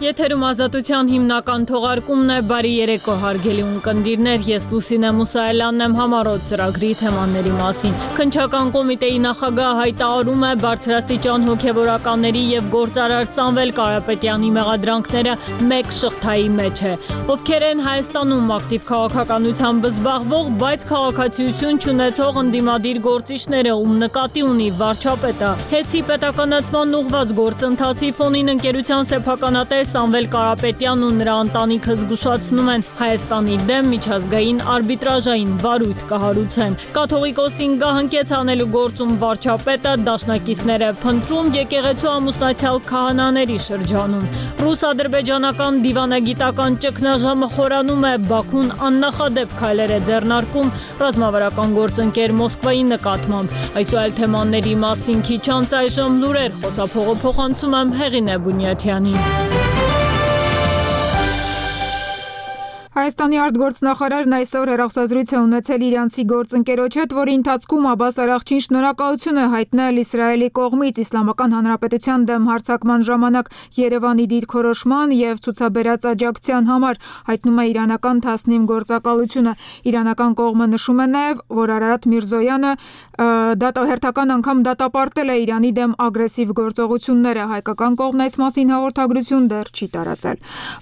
Եթերում ազատության հիմնական թողարկումն է, բարի երեկո հարգելի ունկնդիրներ, ես Լուսինե Մուսայելյանն եմ համառոտ ծրագրի թեմաների մասին։ Քննչական կոմիտեի նախագահ հայտարարում է բարձրաստիճան հոգևորականների եւ գործարար Սամվել Կարապետյանի մեղադրանքները մեկ շղթայի մեջ է։ Ովքեր են Հայաստանում ակտիվ քաղաքականությամբ զբաղվող, բայց քաղաքացիություն չունեցող ընդդիմադիր գործիչները, ում նկատի ունի վարչապետը։ Հեցի պետականացման ուղղված գործընթացի ֆոնին ընկերության սեփականատեր Սամվել Կարապետյանն ու նրա ընտանիքը զգուշացնում են Հայաստանի դեմ միջազգային արբիտրաժային վարույթ կհարուցեն։ Կաթողիկոսին գահընկեց անելու գործում վարչապետը, դաշնակիցները փնտրում եկեղեցու ամուսնացյալ քահանաների շրջանում։ Ռուս-ադրբեջանական դիվանագիտական ճգնաժամը խորանում է, Բաքուն աննախադեպ քայլեր է ձեռնարկում ռազմավարական գործընկեր Մոսկվայի նկատմամբ։ Այս ու այլ թեմաների մասին քիչ անց այժմ լուրեր, խոսափողը փոխանցում եմ Հեղինե Բունյաթյանին։ Հայաստանի արտգործնախարարն այսօր հեռախոսազրույց է ունեցել իրանցի գործընկերոջ հետ, որի ընթացքում Աբբաս Արաղչին շնորհակալություն է հայտնել Իսրայելի կողմից Իսլամական Հանրապետության դեմ հարձակման ժամանակ Երևանի դիրքորոշման եւ ցուցաբերած աջակցության համար, հայտնում է իրանական Թասնիմ գործակալությունը։ Իրանական կողմը նշում է նաեւ, որ Արարատ Միրզոյանը հերթական անգամ դատապարտել է Իրանի դեմ ագրեսիվ գործողությունները։ Հայկական կողմն այս մասին հաղորդագրություն դեռ չի տարածել։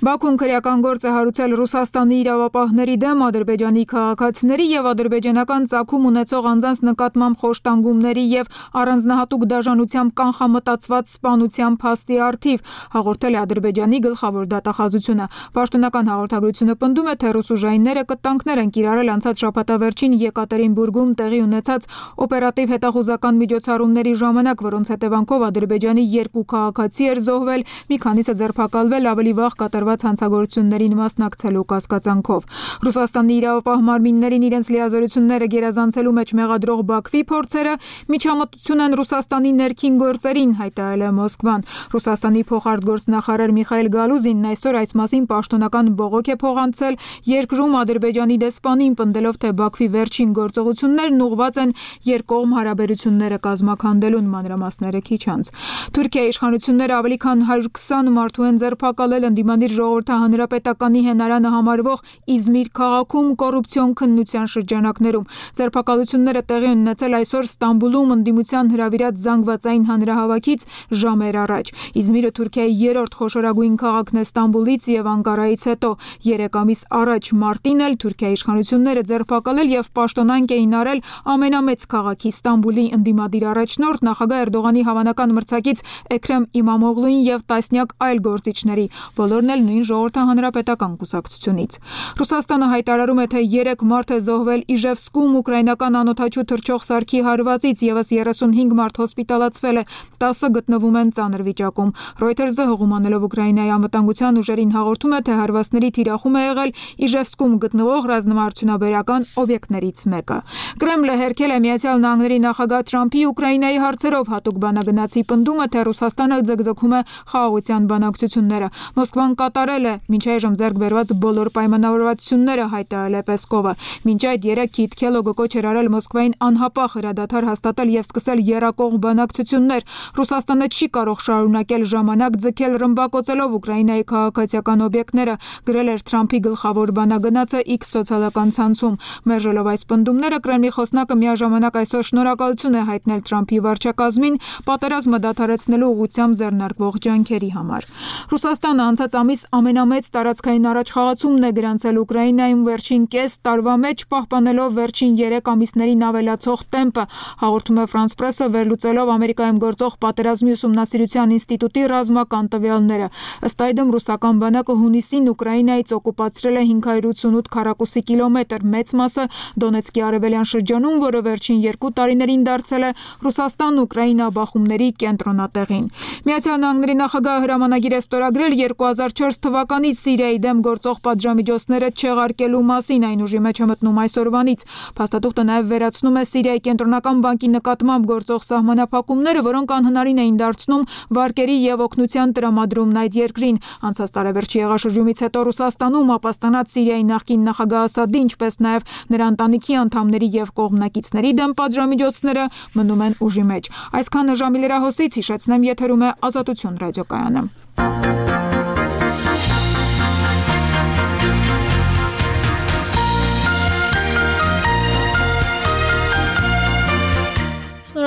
Բաքուն քրեական գործ է հարուցել Ռուսաստանի իրավապահների դեմ, Ադրբեջանի քաղաքացիների եւ ադրբեջանական ծագում ունեցող անձանց նկատմամբ խոշտանգումների եւ առանձնահատուկ դաժանությամբ կանխամտածված սպանության փաստի առթիվ, հաղորդել է Ադրբեջանի գլխավոր դատախազությունը։ Պաշտոնական հաղորդագրությունը պնդում է, թե ռուս ուժայինները կտանքներ են կիրառել անցած շաբաթավերջին Եկատերինբուրգում տեղի ունեցած օպերատիվ հետախուզական միջոցառումների ժամանակ, որոնց հետևանքով Ադրբեջանի 2 քաղաքացի էր զոհվել, մի քանիսը ձերբակալվել, ավելի վաղ կատարված հանցագործություններին մասնակցելու կասկածանքով։ Ռուսաստանի իրավապահ մարմիններին իրենց լիազորությունները գերազանցելու մեջ մեղադրող Բաքվի փորձերը միջամտություն են Ռուսաստանի ներքին գործերին, հայտարարել է Մոսկվան։ Ռուսաստանի փոխարտգործնախարար Միխայել Գալուզինն այսօր այս մասին պաշտոնական բողոք է փոխանցել երկրում Ադրբեջանի դեսպանին, պնդելով, թե Բաքվի վերջին գործողություններն ուղղված են երկկողմ հարաբերությունները կազմաքանդելուն, մանրամասները քիչ անց։ Թուրքիայի իշխանությունները ավելի քան 120 մարդու են ձերբակալել ընդդիմադիր ժողովրդահանրապետականի հենարանը համարվող Իզմիր քաղաքում կոռուպցիոն քննության շրջանակներում։ Ձերբակալությունները տեղի են ունեցել այսօր Ստամբուլում ընդդիմության հրավիրած զանգվածային հանրահավաքից ժամեր առաջ։ Իզմիրը Թուրքիայի 3-րդ խոշորագույն քաղաքն է Ստամբուլից եւ Անկարայից հետո։ 3 ամիս առաջ մարտին էլ Թուրքիայի իշխանությունները ձերբակալել եւ պաշտոնանկ էին արել ամենամեծ քաղաքի Ստամբուլի ընդդիմադիր առաջնորդ նախագահ Էրդողանի հավանական մրցակից Էքրեմ Իմամօղլուին եւ տասնյակ այլ գործիչների, բոլորն էլ նույն ժողովրդահանրապետական կուսակցությունից։ Ռուսաստանը հայտարարում է, թե 3 մարդ է զոհվել Իժևսկում ուկրաինական անօդաչու թռչող սարքի հարվածից, եւս 35 մարդ հոսպիտալացվել է, 10-ը գտնվում են ծանր վիճակում։ Reuters-ը հողում անելով Ուկրաինայի անվտանգության ուժերին հաղորդում է, թե հարվածների թիրախում է եղել Իժևսկում գտնվող ռազմաարդյունաբերական օբյեկտներից մեկը։ Կրեմլը հերքել է Միացյալ Նահանգների նախագահ Թրամփի Ուկրաինայի հարցերով հատուկ բանագնացի պնդումը, թե Ռուսաստանը ձգձգում է խաղաղության բանակցությունները։ Մոսկվան կատարել է մինչ այժմ ձեռք բերված բոլոր պայմանավորվածությունները, հայտարարել է Պեսկովը։ Մինչ այդ 3 Քիթ Քելոգը կոչ էր արել Մոսկվային անհապաղ հրադադար հաստատել եւ սկսել եռակողմ բանակցություններ։ Ռուսաստանը չի կարող շարունակել ժամանակ ձգել ռմբակոծելով Ուկրաինայի քաղաքացիական օբյեկտները, գրել էր Թրամփի գլխավոր բանագնացը X սոցիալական ցանցում։ Մերժելով այս պնդումները, Կրեմլի խոսնակը միաժամանակ այսօր շնորհակալություն է հայտնել Թրամփի վարչակազմին պատերազմը դադարեցնելու ուղղությամբ ձեռնարկվող ջանքերի համար։ Ռուսաստանը անցած ամիս ամենամեծ տարածքային առաջխաղացումն է գրանցել Ուկրաինայում վերջին կես տարվա մեջ, պահպանելով վերջին 3 ամիսներին ավելացող տեմպը, հաղորդում է France Press-ը վերլուծելով Ամերիկայում գործող պատերազմի ուսումնասիրության ինստիտուտի ռազմական տվյալները։ Ըստ այդմ ռուսական բանակը հունիսին Ուկրաինայից օկուպացրել է 588 քառակուսի կիլոմետր, մեծ մասը Դոնեցկի արևելյան շրջանում, որը վերջին 2 տարիներին դարձել է Ռուսաստան-Ուկրաինա բախումների կենտրոնատեղին։ Միացյալ Նահանգների նախագահը հրամանագիր է ստորագրել 2004 թվականից Սիրիայի դեմ գործող պատժամիջոցները չեղարկելու մասին, այն ուժի մեջ է մտնում այսօրվանից։ Փաստաթուղթը նաև վերացնում է Սիրիայի կենտրոնական բանկի նկատմամբ գործող սահմանափակումները, որոնք անհնարին էին դարձնում վարկերի եւ օգնության տրամադրումն այդ երկրին։ Անցած տարեվերջի եղաշրջումից հետո Ռուսաստանում ապաստանած Սիրիայի նախկին նախագահ Ասադի, ինչպես նաև նրա ընտանիքի անդամների եւ կողմնակիցների դեմ պատժամիջոցները մնում են ուժի մեջ։ Այսքանը ժամի լրահոսից, հիշեցնեմ, եթերում է Ազատություն ռադիոկայանը։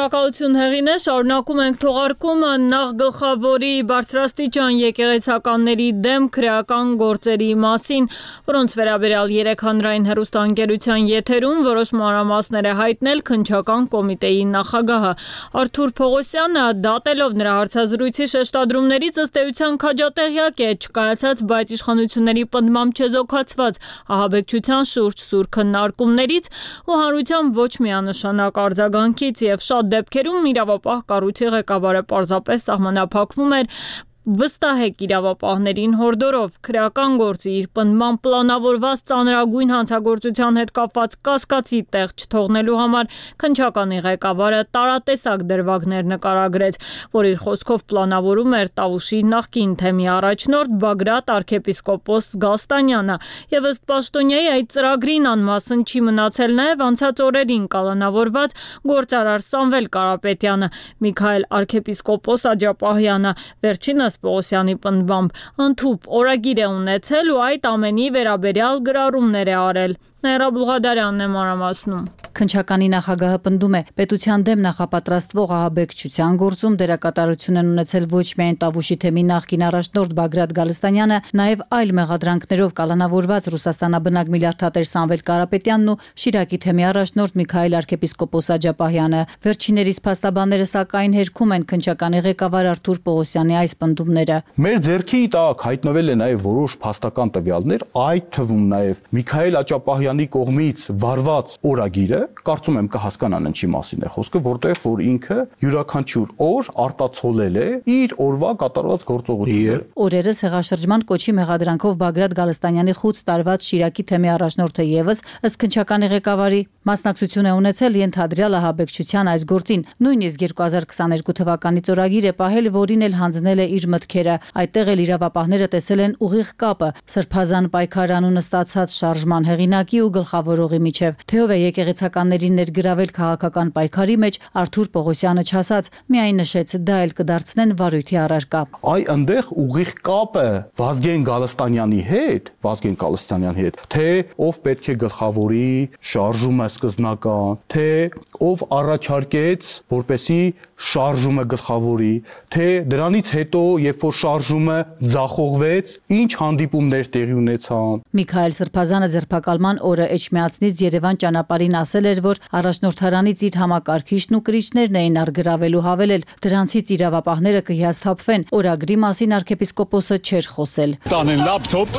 Շնորհակալություն Հեղինե, շարունակում ենք թողարկումը նախ գլխավորի բարձրաստիճան եկեղեցականների դեմ քրեական գործերի մասին, որոնց վերաբերյալ 3 հանրային հեռուստաընկերության եթերում որոշ մանրամասներ է հայտնել քննչական կոմիտեի նախագահը։ Արթուր Պողոսյանը դատելով նրա հարցազրույցի շեշտադրումներից ըստ էության քաջատեղյակ է չկայացած, բայց իշխանությունների պնդմամբ չեզոքացված ահաբեկչության շուրջ սուր քննարկումներից ու հանրության ոչ միանշանակ արձագանքից եւ շատ դեպքերում իրավապահ կառույցի ղեկավարը պարզապես սահմանափակվում էր վստահեք իրավապահներին հորդորով քրեական գործի իր պնդման պլանավորված ծանրագույն հանցագործության հետ կապված կասկածի տեղ չթողնելու համար քննչականի ղեկավարը տարատեսակ դրվագներ նկարագրեց, որ իր խոսքով պլանավորում էր Տավուշի նախկին թեմի առաջնորդ Բագրատ arczepiskopos Գալստանյանը եւ ըստ պաշտոնյայի այդ ծրագրին անմասն չի մնացել նաեւ անցած օրերին կալանավորված գործարար Սամվել Կարապետյանը, Միքայել arczepiskopos Աջապահյանը, վերջինս Պողոսյանի պնդմամբ ընդհուպ օրագիր է ունեցել ու այդ ամենի վերաբերյալ գրառումներ է արել։ Ներա Բուլղադարյանն է մանրամասնում։ Քննչականի նախագահը պնդում է, պետության դեմ նախապատրաստվող ահաբեկչության գործում դերակատարություն են ունեցել ոչ միայն Տավուշի թեմի նախկին առաջնորդ Բագրատ Գալստանյանը, նաև այլ մեղադրանքներով կալանավորված Ռուսաստանաբնակ միլիարդատեր Սամվել Կարապետյանն ու Շիրակի թեմի առաջնորդ Միքայել arczepiskopos Աջապահյանը։ Վերջիններիս փաստաբանները սակայն հերքում են քննչականի ղեկավար Արթուր Պողոսյանի այս պնդումները։ Մեր ձեռքի տակ հայտնվել է նաև որոշ փաստական տվյալներ, այդ թվում նաև Միքայել Աջապահյանի կողմից վարված օրագիրը, կարծում եմ կհասկանան ինչի մասին է խոսքը, որտեղ որ ինքը յուրաքանչյուր օր արտացոլել է իր օրվա կատարված գործողությունները։ Օրերս հեղաշրջման կոչի մեղադրանքով Բագրատ Գալստանյանի խուծ տարված Շիրակի թեմի առաջնորդը եւս ըստ քննչականի ղեկավարի մասնակցություն է ունեցել ենթադրյալ ահաբեկչության այս գործին, նույնիսկ 2022 թվականից օրագիր է պահել, որին էլ հանձնել է իր մտքերը։ Այդտեղ էլ իրավապահները տեսել են ուղիղ կապը սրբազան պայքար անունը ստացած շարժման հեղինակի ու գլխավորողի միջև։ Թեով է եկեղեցականներին ներգրավել քաղաքական պայքարի մեջ, Արթուր Պողոսյանը չասաց, միայն նշեց, դա էլ կդարձնեն վարույթի առարկա։ Այ այնտեղ ուղիղ կապը Վազգեն Գալստանյանի հետ, թե ով պետք է գլխավորի շարժումը սկզբնական, թե ով առաջարկեց, որպեսի շարժումը գլխավորի, թե դրանից հետո, երբ որ շարժումը ձախողվեց, ինչ հանդիպումներ տեղի ունեցան։ Միքայել Սրբազանը ձերբակալման օրը Էջմիածնից Երևան ճանապարհին ասել էր, որ առաջնորդարանից իր համակարգիչն ու կրիչներն էին առգրավել ու հավելել, դրանցից իրավապահները կհիասթափվեն։ Օրագրի մասին arczepiskopos-ը չէր խոսել։ Տանեն լապտոպ,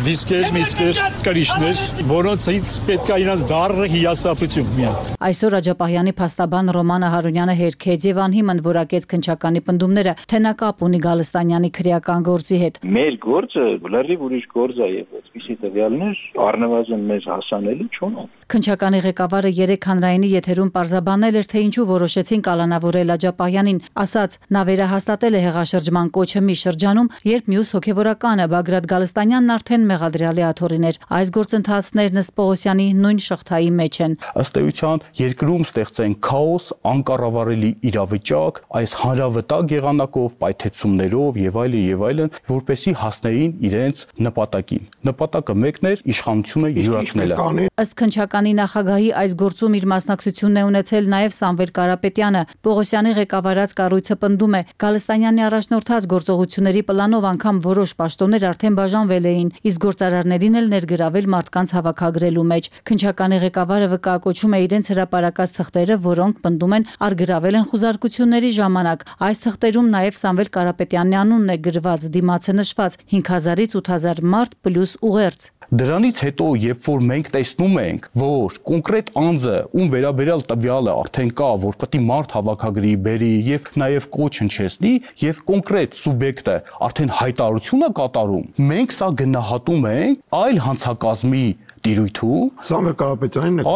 դիսկեր, միսկեր, կրիչներ, որոնցից պետք է իրանց դառը հիասթափություն միան։ Այսօր Աջապահյանի փաստաբան Ռոմանը Հարունյանը հերքեց եւ անհիմն որակեց քննչականի պնդումները, թե նա կապ ունի Գալստանյանի քրեական գործի հետ։ Մեր գործը լրիվ ուրիշ գործ է եւ այսպիսի տվյալներ առնվազն մեզ հասանելի չունեն։ Քննչականի ղեկավարը 3 հանրայինի եթերում պարզաբանել էր, թե ինչու որոշեցին կալանավորել Աջապահյանին, ասաց, նա վերահաստատել է հեղաշրջման կոչը մի շրջանում, երբ մյուս հոգևորականը Բագրատ Գալստանյանն արդեն մեղադրյալի աթոռին էր։ Այս գործընթացներն ըստ Պողոսյանի նույն շղթայի մեջ են։ Ըստ էության երկրում ստեղծեն քաոս, անկառավարելի իրավիճակ, այս հանրավտակ եղանակով, պայթեցումներով եւ այլն, որպեսի հասնեին իրենց նպատակին։ Նպատակը մեկն էր իշխանությունը յուրացնելը։ Ըստ քննչականի նախագահի այս գործում իր մասնակցությունն է ունեցել նաև Սամվել Կարապետյանը։ Պողոսյանի ղեկավարած կառույցը պնդում է, Գալստանյանի առաջնորդած գործողությունների պլանով անգամ որոշ պաշտոններ արդեն բաժանվել էին, իսկ գործարարներին էլ ներգրավել մարդկանց հավաքագրելու մեջ։ Քննչականի ղեկավարը վկայակոչում է իրենց հրապարակած թղթերը, որոնք պնդում են առգրավել են խուզարկությունների ժամանակ։ Այս թղթերում նաև Սամվել Կարապետյանի անունն է գրված, դիմացը նշված 5000-ից 8000 մարդ պլյուս ուղերձ։ Դրանից հետո, երբ որ մենք տեսնում ենք, որ կոնկրետ անձը, ում վերաբերյալ տվյալը արդեն կա, որ պետք է մարդ հավաքագրի, բերի եւ նաեւ կոչ հնչեցնի, եւ կոնկրետ սուբյեկտը արդեն հայտարարություն է կատարում, մենք սա գնահատում ենք այլ հանցակազմի տիրույթում Սամվել Կարապետյանին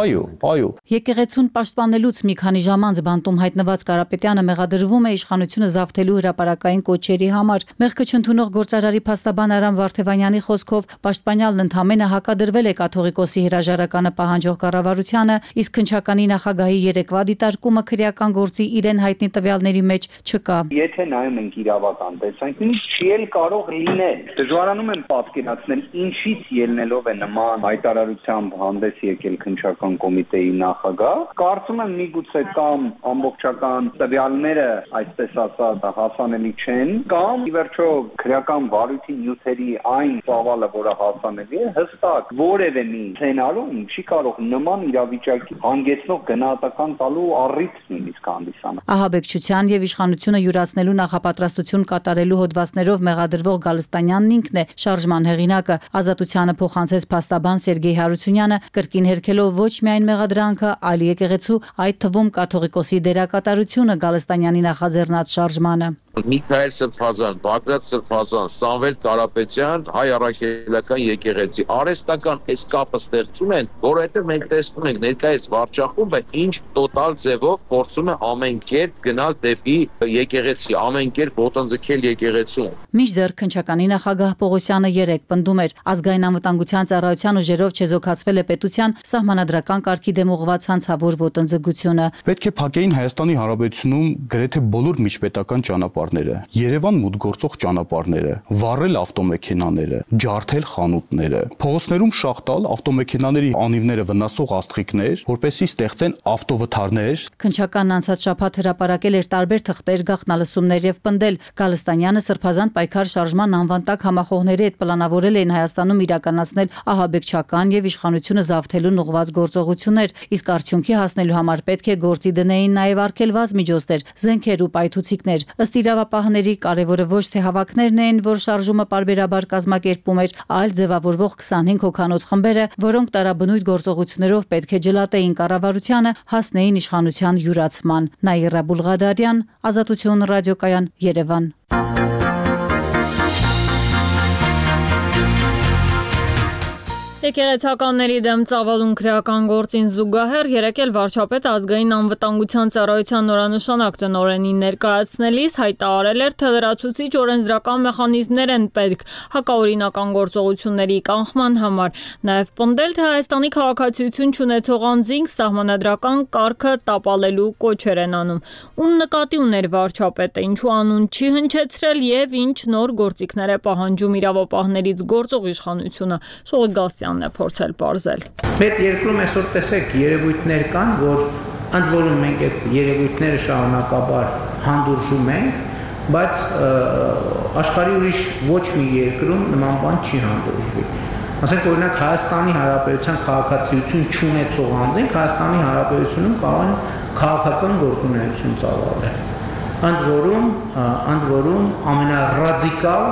Այո։ Եկեղեցուն պաշտպանելուց մի քանի ժամ անց բանտում հայտնված Կարապետյանը մեղադրվում է իշխանությունը զավթելու հրապարակային կոչերի համար։ Մեղքը չընդունող գործարարի փաստաբան Արամ Վարդևանյանի խոսքով պաշտպանյալն ընդհանրապես հակադրվել է կաթողիկոսի հրաժարականը պահանջող կառավարությանը, իսկ քննչականի նախագահի երեկվա դիտարկումը քրեական գործի իրեն հայտնի տվյալների մեջ չկա։ Եթե նայում ենք իրավական տեսանկյունից, չի էլ կարող լինել։ Դժվարանում եմ պատկերացնել ինչից ելնելով է նման հայտարարություն հայտարարությամբ հանդես եկել քննչական կոմիտեի նախագահ։ Կարծում եմ միգուցե կամ ամբողջական տվյալները, այսպես ասած, հասանելի չեն, կամ ի վերջո քրեական վարույթի նյութերի այն ծավալը, որը հասանելի է, հստակ որևէ մի սցենարում չի կարող նման իրավիճակի հանգեցնող գնահատական տալու առիթ նույնիսկ հանդիսանալ։ Ահաբեկչության եւ իշխանությունը յուրացնելու նախապատրաստություն կատարելու հոդվածներով մեղադրվող Գալստանյանն ինքն է շարժման հեղինակը։ Ազատությանը փոխանցեց փաստաբան Սերգեյ Հարությունյանը, կրկին հերքելով ոչ միայն մեղադրանքը, այլ եկեղեցու, այդ թվում կաթողիկոսի դերակատարությունը Գալստանյանի նախաձեռնած շարժմանը։ Միքայել Սրբազան, Բագրատ Սրբազան, Սամվել Կարապետյան, հայ առաքելական եկեղեցի արհեստական այս կապը ստեղծում են, որովհետև մենք տեսնում ենք ներկայիս վարչախումբը ինչ տոտալ ձևով փորձում է ամեն կերպ գնալ դեպի եկեղեցի, ամեն կերպ ոտնձգել եկեղեցուն։ Մինչդեռ քննչականի նախագահ Պողոսյանը երեկ պնդում էր, ազգային անվտանգության ծառայության ուժերով չեզոքացվել է պետության սահմանադրական կարգի դեմ ուղղված հանցավոր ոտնձգությունը։ Պետք է փակեին Հայաստանի Հանրապետությունում գրեթե բոլոր միջպետական ճանապարհները, Երևան մուտք գործող ճանապարհները, վառել ավտոմեքենաները, ջարդել խանութները, փողոցներում շաղտալ ավտոմեքենաների անիվները վնասող աստղիկներ, որպեսզի ստեղծեն ավտովթարներ։ Քննչականն անցած շաբաթ հրապարակել էր տարբեր թղթեր, գաղտնալսումներ եւ պնդել, Գալստանյանը Սրբազան պայքար շարժման անվան տակ համախոհների հետ պլանավորել էին Հայաստանում իրականացնել ահաբեկչական եւ իշխանությունը զավթելուն ուղղված գործողություններ, իսկ արդյունքի հասնելու համար պետք է գործի դնեին նաեւ արգելված միջոցներ, զենքեր ու պայթուցիկներ։ Ըստ իրավապահների կարևորը ոչ թե հավաքներն են, որ շարժումը պարբերաբար կազմակերպում էր, այլ ձևավորվող 25 հոգանոց խմբերը, որոնք տարաբնույթ գործողություններով պետք է ջլատեին կառավարությանը, հասնեին իշխանության յուրացման։ Նաիրա Բուլղադարյան, Ազատություն ռադիոկայան, Երևան։ Եկեղեցականների դեմ ծավալուն քրեական գործին զուգահեռ երեկ էլ վարչապետը ազգային անվտանգության ծառայության նորանշանակ տնօրենին ներկայացնելիս հայտարարել էր, թե լրացուցիչ օրենսդրական մեխանիզմներ են պետք հակաօրինական գործողությունների կանխման համար, նաև պնդել, թե Հայաստանի քաղաքացիություն չունեցող անձինք սահմանադրական կարգը տապալելու կոչեր են անում։ Ում նկատի ուներ վարչապետը, ինչու անուն չի հնչեցրել եւ ինչ նոր գործիքներ է պահանջում իրավապահներից գործող իշխանությունը։ Շողգասյան է փորձել բարձել։ Պետ երկրում այսօր տեսեք երևույթներ կան, որ ընդ որում մենք այդ երևույթները շարունակաբար հանդուրժում ենք, բայց աշխարհի ուրիշ ոչ մի երկրում նման բան չի հանդուրժվի։ Ասենք օրինակ Հայաստանի Հանրապետության քաղաքացիություն չունեցող անձինք Հայաստանի Հանրապետությունում կարող են քաղաքական գործունեություն ծավալել։ Ընդ որում ամենառադիկալ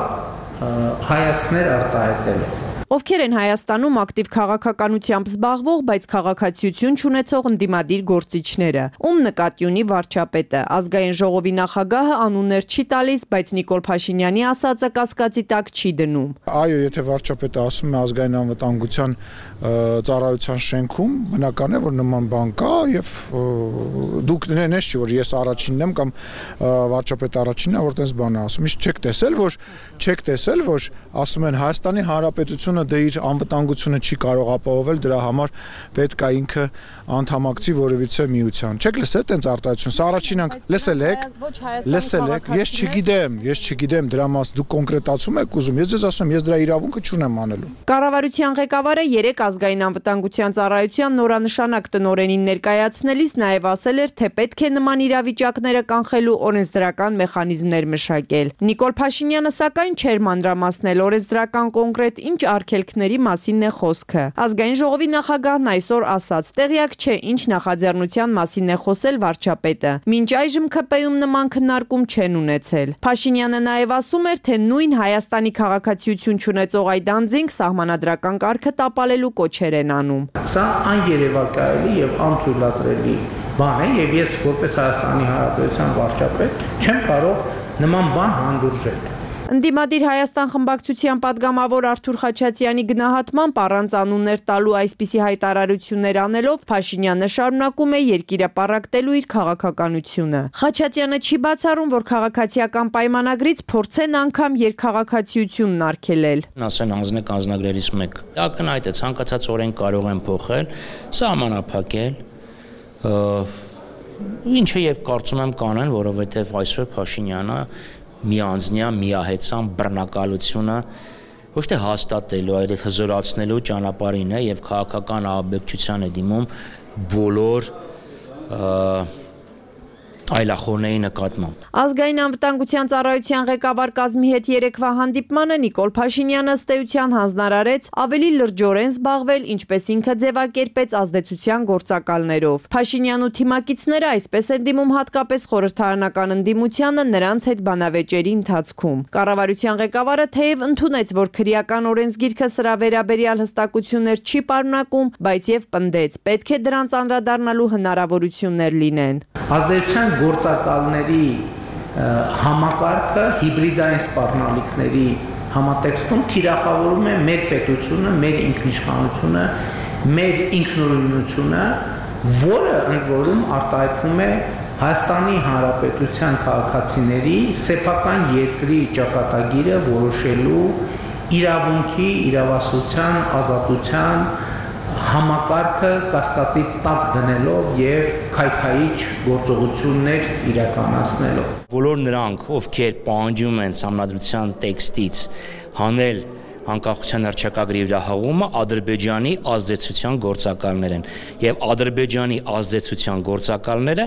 հայացքներ արտահայտելով։ Ովքեր են Հայաստանում ակտիվ քաղաքականությամբ զբաղվող, բայց քաղաքացիություն չունեցող ընդդիմադիր գործիչները։ Ում նկատի ունի վարչապետը։ Ազգային ժողովի նախագահը անուններ չի տալիս, բայց Նիկոլ Փաշինյանի ասածը կասկածի տակ չի դնում։ Այո, եթե վարչապետը ասում է ազգային անվտանգության ծառայության շենքում, բնական է, որ նման բան կա եւ դուք նենես չի, որ ես առաջինն եմ կամ վարչապետը առաջինն է, որ տես բան է ասում։ Իսկ չեք տեսել, որ ասում են Հայաստանի Հանրապետությունը դե իր անվտանգությունը չի կարող ապահովել, դրա համար պետք է ինքը անդամակցի որևիցե միության։ Չեք լսել տենց արտահայտություն, սա առաջին անգամ լսել եք, ես չգիտեմ դրա մաս դուք կոնկրետացում եք ուզում, ես ձեզ ասում, ես դրա իրավունքը չունեմ անելու։ Կառավարության ղեկավարը երեկ ազգային անվտանգության ծառայության նորանշանակ տնօրենին ներկայացնելիս նաև ասել էր, թե պետք է նման իրավիճակները կանխելու օրենսդրական մեխանիզմներ մշակել։ Նիկոլ Փաշինյանը սակայն չէր մանրամասնել օրենսդրական կոնկրետ ինչ արգելքների մասին է խոսքը։ Ազգային ժողովի նախագահն այսօր ասաց, տեղյակ չէ ինչ նախաձեռնության մասին է խոսել վարչապետը։ Մինչ այժմ ՔՊ-ում նման քննարկում չեն ունեցել։ Փաշինյանը նաև ասում էր, թե նույն Հայաստանի քաղաքացիություն չունեցող այդ անձինք սահմանադրական կարգը տապալելու կոչեր են անում։ Սա աներևակայելի եւ անթույլատրելի բան է եւ ես որպես Հայաստանի Հանրապետության վարչապետ չեմ կարող նման բան հանդուրժել։ Ընդդիմադիր Հայաստան խմբակցության падգամավոր Արթուր Խաչատրյանի գնահատմամբ առանց անուններ տալու այսպիսի հայտարարություններ անելով Փաշինյանը շարունակում է երկիրը պառակտելու իր քաղաքականությունը։ Խաչատրյանը չի բացառում, որ քաղաքացիական պայմանագրից փորձեն անգամ երկխաղաքացիությունն արգելել։ Ասեն անձնեք անձնագրերից մեկ։ Ակնհայտ է ցանկացած օրենք կարող են փոխել, սահմանափակել, ինչը եւ կարծում եմ կանեն, որովհետեւ այսօր Փաշինյանը միանձնյա միահեծան բռնակալությունը ոչ թե հաստատելու, այլ հզորացնելու ճանապարհին է եւ քաղաքական ահաբեկչության է դիմում բոլոր այլախոհների նկատմամբ։ Ազգային անվտանգության ծառայության ղեկավար կազմի հետ երեկվա հանդիպմանը Նիկոլ Փաշինյանը ըստ էության հանձնարարեց ավելի լրջորեն զբաղվել, ինչպես ինքը ձևակերպեց ազդեցության գործակալներով։ Փաշինյանն ու թիմակիցները այսպես են դիմում հատկապես խորհրդարանական ընդդիմությանը նրանց հետ բանավեճերի ընթացքում։ Կառավարության ղեկավարը թեև ընդունեց, որ քրեական օրենսգիրքը սրա վերաբերյալ հստակություններ չի պարունակում, բայց եւ պնդեց, պետք է դրանց անդրադառնալու հնարավորություններ լինեն։ Ազդեցության գործակալների համակարգը հիբրիդային սպառնալիքների համատեքստում թիրախավորում է մեր պետությունը, մեր ինքնիշխանությունը, մեր ինքնուրույնությունը, որը ընդ որում արտահայտվում է Հայաստանի Հանրապետության քաղաքացիների սեփական երկրի ճակատագիրը որոշելու իրավունքի, իրավասության, ազատության համակարգը կասկածի տակ դնելով եւ քայքայիչ գործողություններ իրականացնելով։ Բոլոր նրանք, ովքեր պահանջում են համանդրության տեքստից հանել անկախության հռչակագրի վրա հղումը, Ադրբեջանի ազդեցության գործակալներ են եւ Ադրբեջանի ազդեցության գործակալները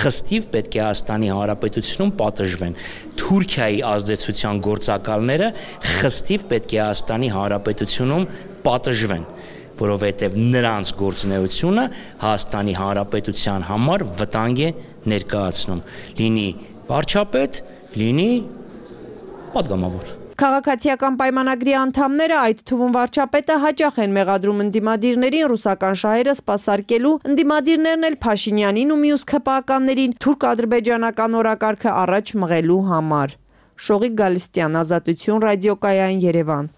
խստիվ պետք է Հայաստանի Հանրապետությունում պատժվեն։ Թուրքիայի ազդեցության գործակալները խստիվ պետք է Հայաստանի Հանրապետությունում պատժվեն, որովհետև նրանց գործունեությունը Հայաստանի Հանրապետության համար վտանգ է ներկայացնում, լինի վարչապետ, լինի պատգամավոր։ Քաղաքացիական պայմանագրի անդամները, այդ թվում վարչապետը, հաճախ են մեղադրում ընդդիմադիրներին ռուսական շահերը սպասարկելու, ընդդիմադիրներն էլ Փաշինյանին ու մյուս ՔՊԱ-ականներին թուրք-ադրբեջանական օրակարգը առաջ մղելու համար։ Շողիկ Գալստյան, Ազատություն, ռադիոկայան, Երևան։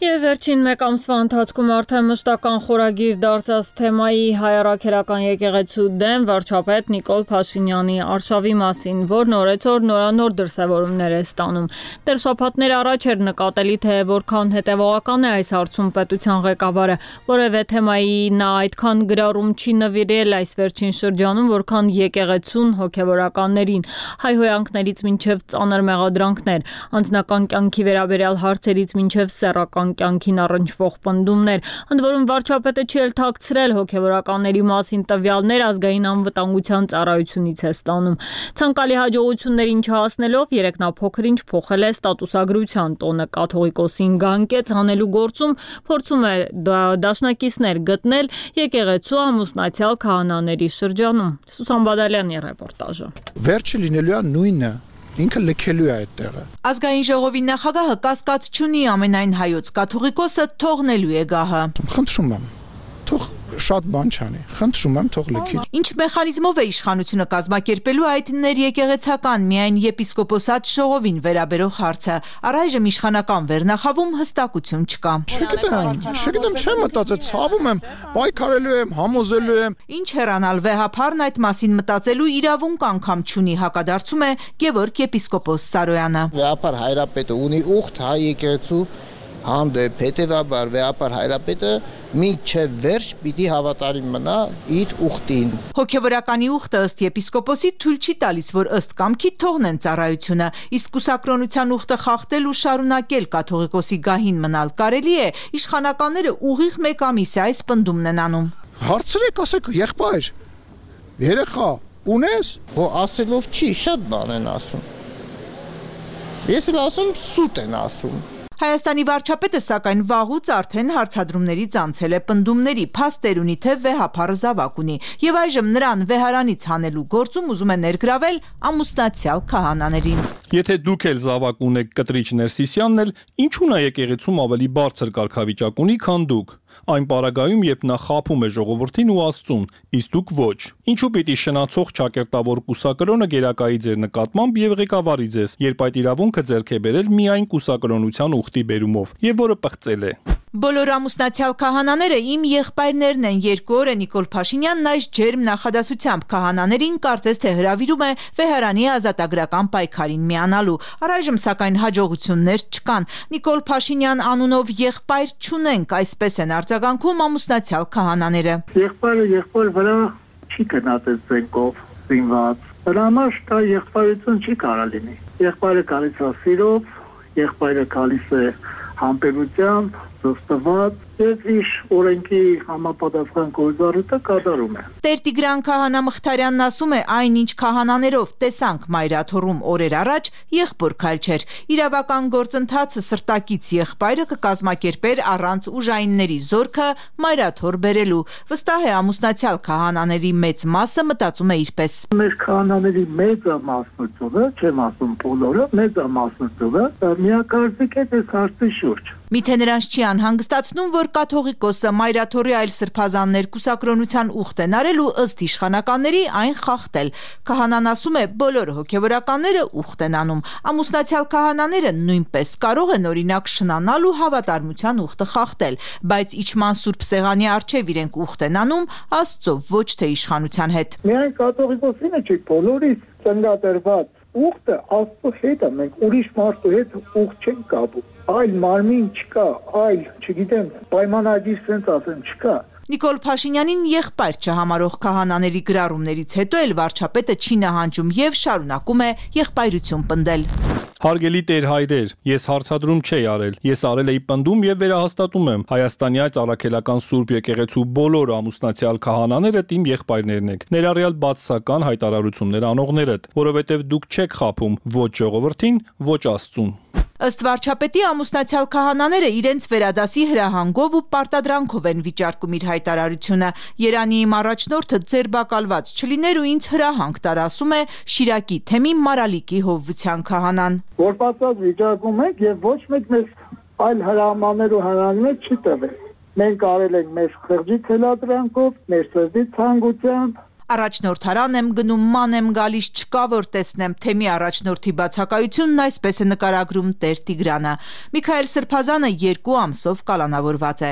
Եվ վերջին մեկ ամսվա ընթացքում արդեն մշտական խորագիր դարձած թեմայի հայ-առաքելական եկեղեցու դեմ վարչապետ Նիկոլ Փաշինյանի արշավի մասին, որն օրեցօր նորանոր դրսևորումներ է ստանում։ Դեռ շաբաթներ առաջ էր նկատելի, թե որքան հետևողական է այս հարցում պետության ղեկավարը, որևէ թեմայի նա այդքան գրառում չի նվիրել այս վերջին շրջանում, որքան եկեղեցուն հոգևորականներին, հայհոյանքներից մինչև ծանր մեղադրանքներ, անձնական կյանքի վերաբերյալ հարցերից մինչև սեռական կյանքին առնչվող պնդումներ, ընդ որում վարչապետը չի էլ թաքցրել հոգևորականների մասին տվյալներ ազգային անվտանգության ծառայությունից է ստանում։ Ցանկալի հաջողություններին չհասնելով երեկ նա փոքր-ինչ փոխել է ստատուսագրության տոնը, կաթողիկոսին գանկեց հանելու գործում փորձում է դաշնակիցներ գտնել եկեղեցու ամուսնացյալ քահանաների շրջանում։ Սուսան Բադալյանի ռեպորտաժը։ Վերջը լինելու է նույնը։ Ինքը լքելու է այդ տեղը։ Ազգային ժողովի նախագահը կասկած չունի ամենայն հայոց կաթողիկոսը թողնելու է գահը։ Խնդրում եմ, թող շատ բան չանի, խնդրում եմ թող լքի։ Ինչ մեխանիզմով է իշխանությունը կազմակերպելու այդ ներեկեղեցական միայն եպիսկոպոսատ ժողովին վերաբերող հարցը։ Առայժմ իշխանական վերնախավում հստակություն չկա։ Չգիտեմ, չեմ մտածել, ցավում եմ, պայքարելու եմ, համոզելու եմ։ Ինչ հեռանալ վեհափառն այդ մասին մտածելու իրավունք անգամ չունի, հակադարձում է Գևորգ եպիսկոպոս Սարոյանը։ Վեհափառ հայրապետը ունի ուխտ հայ եկեղեցու հանդեպ, հետևաբար վեհապար հայրապետը մինչև վերջ պիտի հավատարիմ մնա իր ուխտին։ Հոգևորականի ուխտը ըստ եպիսկոպոսի թույլ չի տալիս, որ ըստ կամքի թողնեն ծառայությունը, իսկ կուսակրոնության ուխտը խախտել ու շարունակել կաթողիկոսի գահին մնալ կարելի է, իշխանականները ուղիղ մեկ ամիս է այս պնդումն են անում։ Հարցրեք, ասեք, եղբայր, երեխա, ունես։ Ասելով չի, շատ բան են ասում։ Ես էլ ասում, սուտ են ասում։ Հայաստանի վարչապետը սակայն վաղուց արդեն հարցադրումներից անցել է պնդումների, փաստեր ունի, թե վեհափառը զավակ ունի, եւ այժմ նրան վեհարանից հանելու գործում ուզում է ներգրավել ամուսնացյալ քահանաներին։ Եթե դուք էլ զավակ ունեք կտրիչ Ներսիսյանն էլ, ինչու՞ նա եկեղեցում ավելի բարձր կարգավիճակ ունի, քան դուք։ Այն պարագայում, երբ նա խաբում է ժողովրդին ու Աստծուն, իսկ դուք ոչ։ Ինչու պիտի շնացող ճակերտավոր կուսակրոնը գերակայի ձեր նկատմամբ եւ ղեկավարի ձեզ, երբ այդ իրավունքը ձեռք է բերել միայն կուսակրոնության ուխտի բերումով, եւ որը պղծել է։ Բոլոր ամուսնացյալ քահանաները իմ եղբայրներն են, 2 օր է Նիկոլ Փաշինյանն այս ջերմ նախադասությամբ քահանաներին կարծես թե հրավիրում է Վեհարանի ազատագրական պայքարին միանալու։ Առայժմ սակայն հաջողություններ չկան։ Նիկոլ Փաշինյան անունով եղբայր չունենք, այսպես են արձագանքում ամուսնացյալ քահանաները։ Եղբայրը վրա չի գնացել զենքով զինված։ Դրա համար դա եղբայրություն չի կարող լինի։ Եղբայրը գալիս է սիրով, եղբայրը գալիս է համբերությամբ, զոստված եւ իր օրենքի համապատասխան գործառույթը կատարում է։ Տեր Տիգրան քահանա Մխիթարյանն ասում է, այնինչ քահանաներով տեսանք Մայրաթոռում օրեր առաջ, եղբոր քայլ չէր։ Իրավական գործընթացը սրտակից եղբայրը կկազմակերպեր առանց ուժայինների զորքը Մայրաթոռ բերելու։ Վստահ է ամուսնացյալ քահանաների մեծ մասը մտածում է իրպես։ Մեր քահանաների մեծամասնությունը, չեմ ասում բոլորը, մեծամասնությունը միակարծիք է այս հարցի շուրջ։ Միթե նրանց չի անհանգստացնում, որ կաթողիկոսը Մայրաթոռի այլ սրբազաններ կուսակրոնության ուխտ են արել ու ըստ իշխանականների այն խախտել։ Քահանան ասում է, բոլոր հոգևորականները ուխտ են անում։ Ամուսնացյալ քահանաները նույնպես կարող են օրինակ շնանալ ու հավատարմության ուխտը խախտել, բայց իջման սուրբ սեղանի առջև իրենք ուխտ են անում Աստծո, ոչ թե իշխանության հետ։ Միայն կաթողիկոսինը չի, բոլորից ծննդատերված ուխտը Աստծո հետ է, մենք ուրիշ մարդու հետ ուխտ չենք կապում։ Այլ մարմին չկա, այլ, չգիտեմ, պայմանագիր sense ասեմ չկա։ Նիկոլ Փաշինյանին եղբայր չհամարող քահանաների գրառումներից հետո էլ վարչապետը չի նահանջում եւ շարունակում է եղբայրություն պնդել։ Հարգելի տեր հայրեր, ես հարցադրում չէի արել, ես արել էի պնդում եւ վերահաստատում եմ Հայաստանի այդ առաքելական Սուրբ եկեղեցու բոլոր ամուսնացյալ քահանաները իմ եղբայրներն եք, ներառյալ բացասական հայտարարություններ անողներդ, որովհետեւ դուք չեք խաբում ոչ ժողովրդին, ոչ Աստծուն։ Ըստ վարչապետի ամուսնացյալ քահանաները իրենց վերադասի հրահանգով ու պարտադրանքով են վիճարկում իր հայտարարությունը։ Երանի իմ առաջնորդը ձերբակալված չլիներ ու ինձ հրահանգ տար, ասում է Շիրակի թեմի Մարալիկի հովվության քահանան։ Որ պատված վիճակում ենք եւ ոչ մեկ մեզ այլ հրամաններ ու հրահանգներ չի տվել։ Մենք արել ենք մեր խղճի թելադրանքով, մեր սրտի ցանկությամբ։ Առաջնորդարան եմ գնում, ման եմ գալիս, չկա որ տեսնեմ, թեմի առաջնորդի բացակայությունն այսպես է նկարագրում Տեր Տիգրանը։ Միքայել Սրբազանը 2 ամսով կալանավորված է։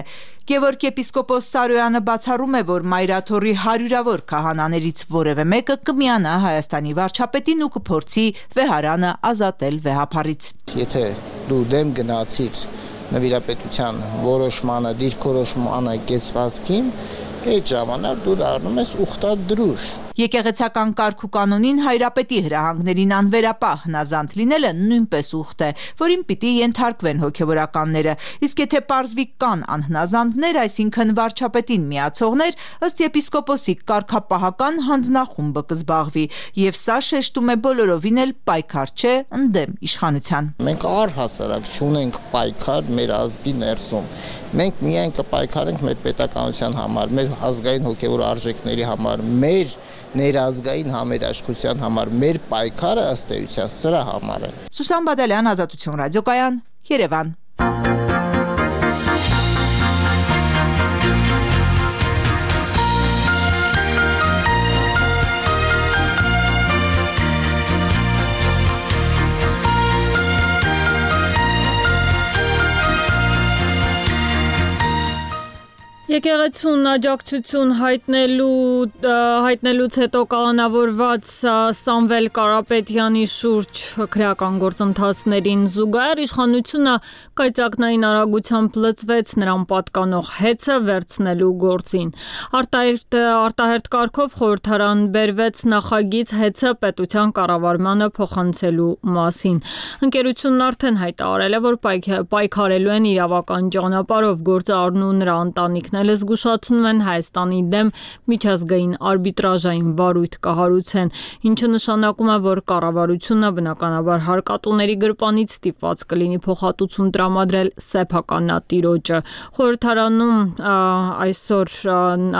Գևորգ եպիսկոպոս Սարոյանը բացառում է, որ Մայրաթոռի հարյուրավոր քահանաներից որևէ մեկը կմիանա Հայաստանի վարչապետին ու կփորձի Վեհարանը ազատել վեհափառից։ Եթե դու դեմ գնացիր նվիրապետության որոշմանը, դիրքորոշմանը կեցվածքին, այդ ժամանակ դու դառնում ես ուխտադրուժ։ Եկեղեցական կարգ ու կանոնին հայրապետի հրահանգներին անվերապահ հնազանդ լինելը նույնպես ուխտ է, որին պիտի ենթարկվեն հոգևորականները։ Իսկ եթե պարզվի կան անհնազանդներ, այսինքն վարչապետին միացողներ, ըստ եպիսկոպոսի կարգապահական հանձնախումբը կզբաղվի, եւ սա շեշտում է բոլորովին էլ պայքար չէ ընդդեմ իշխանության։ Մենք առհասարակ չունենք պայքար մեր ազգի ներսում։ Մենք միայն կպայքարենք մեր պետականության համար, մեր ազգային հոգևոր արժեքների համար, մեր ներազգային համերաշխության համար, մեր պայքարը ըստ էության սրա համար է։ Սուսան Բադալյան, Ազատություն ռադիոկայան, Երևան։ Եկեղեցուն աջակցություն հայտնելուց հետո կալանավորված Սամվել Կարապետյանի շուրջ քրեական գործընթացներին զուգահեռ իշխանությունը կայծակնային արագությամբ լծվեց նրան պատկանող հեծը վերցնելու գործին։ Արտահերտ կարգով խորհրդարան բերվեց նախագիծ հեծը պետության կառավարմանը փոխանցելու մասին։ Ընկերությունն արդեն հայտարարել է, որ պայքարելու են իրավական ճանապարհով, գործը առնու նրա ընտանիքն զգուշացնում են Հայաստանի դեմ միջազգային արբիտրաժային վարույթ կհարուցեն, ինչը նշանակում է, որ կառավարությունը բնականաբար հարկատուների գրպանից ստիպված կլինի փոխհատուցում տրամադրել սեփականատիրոջը։ Խորհրդարանում այսօր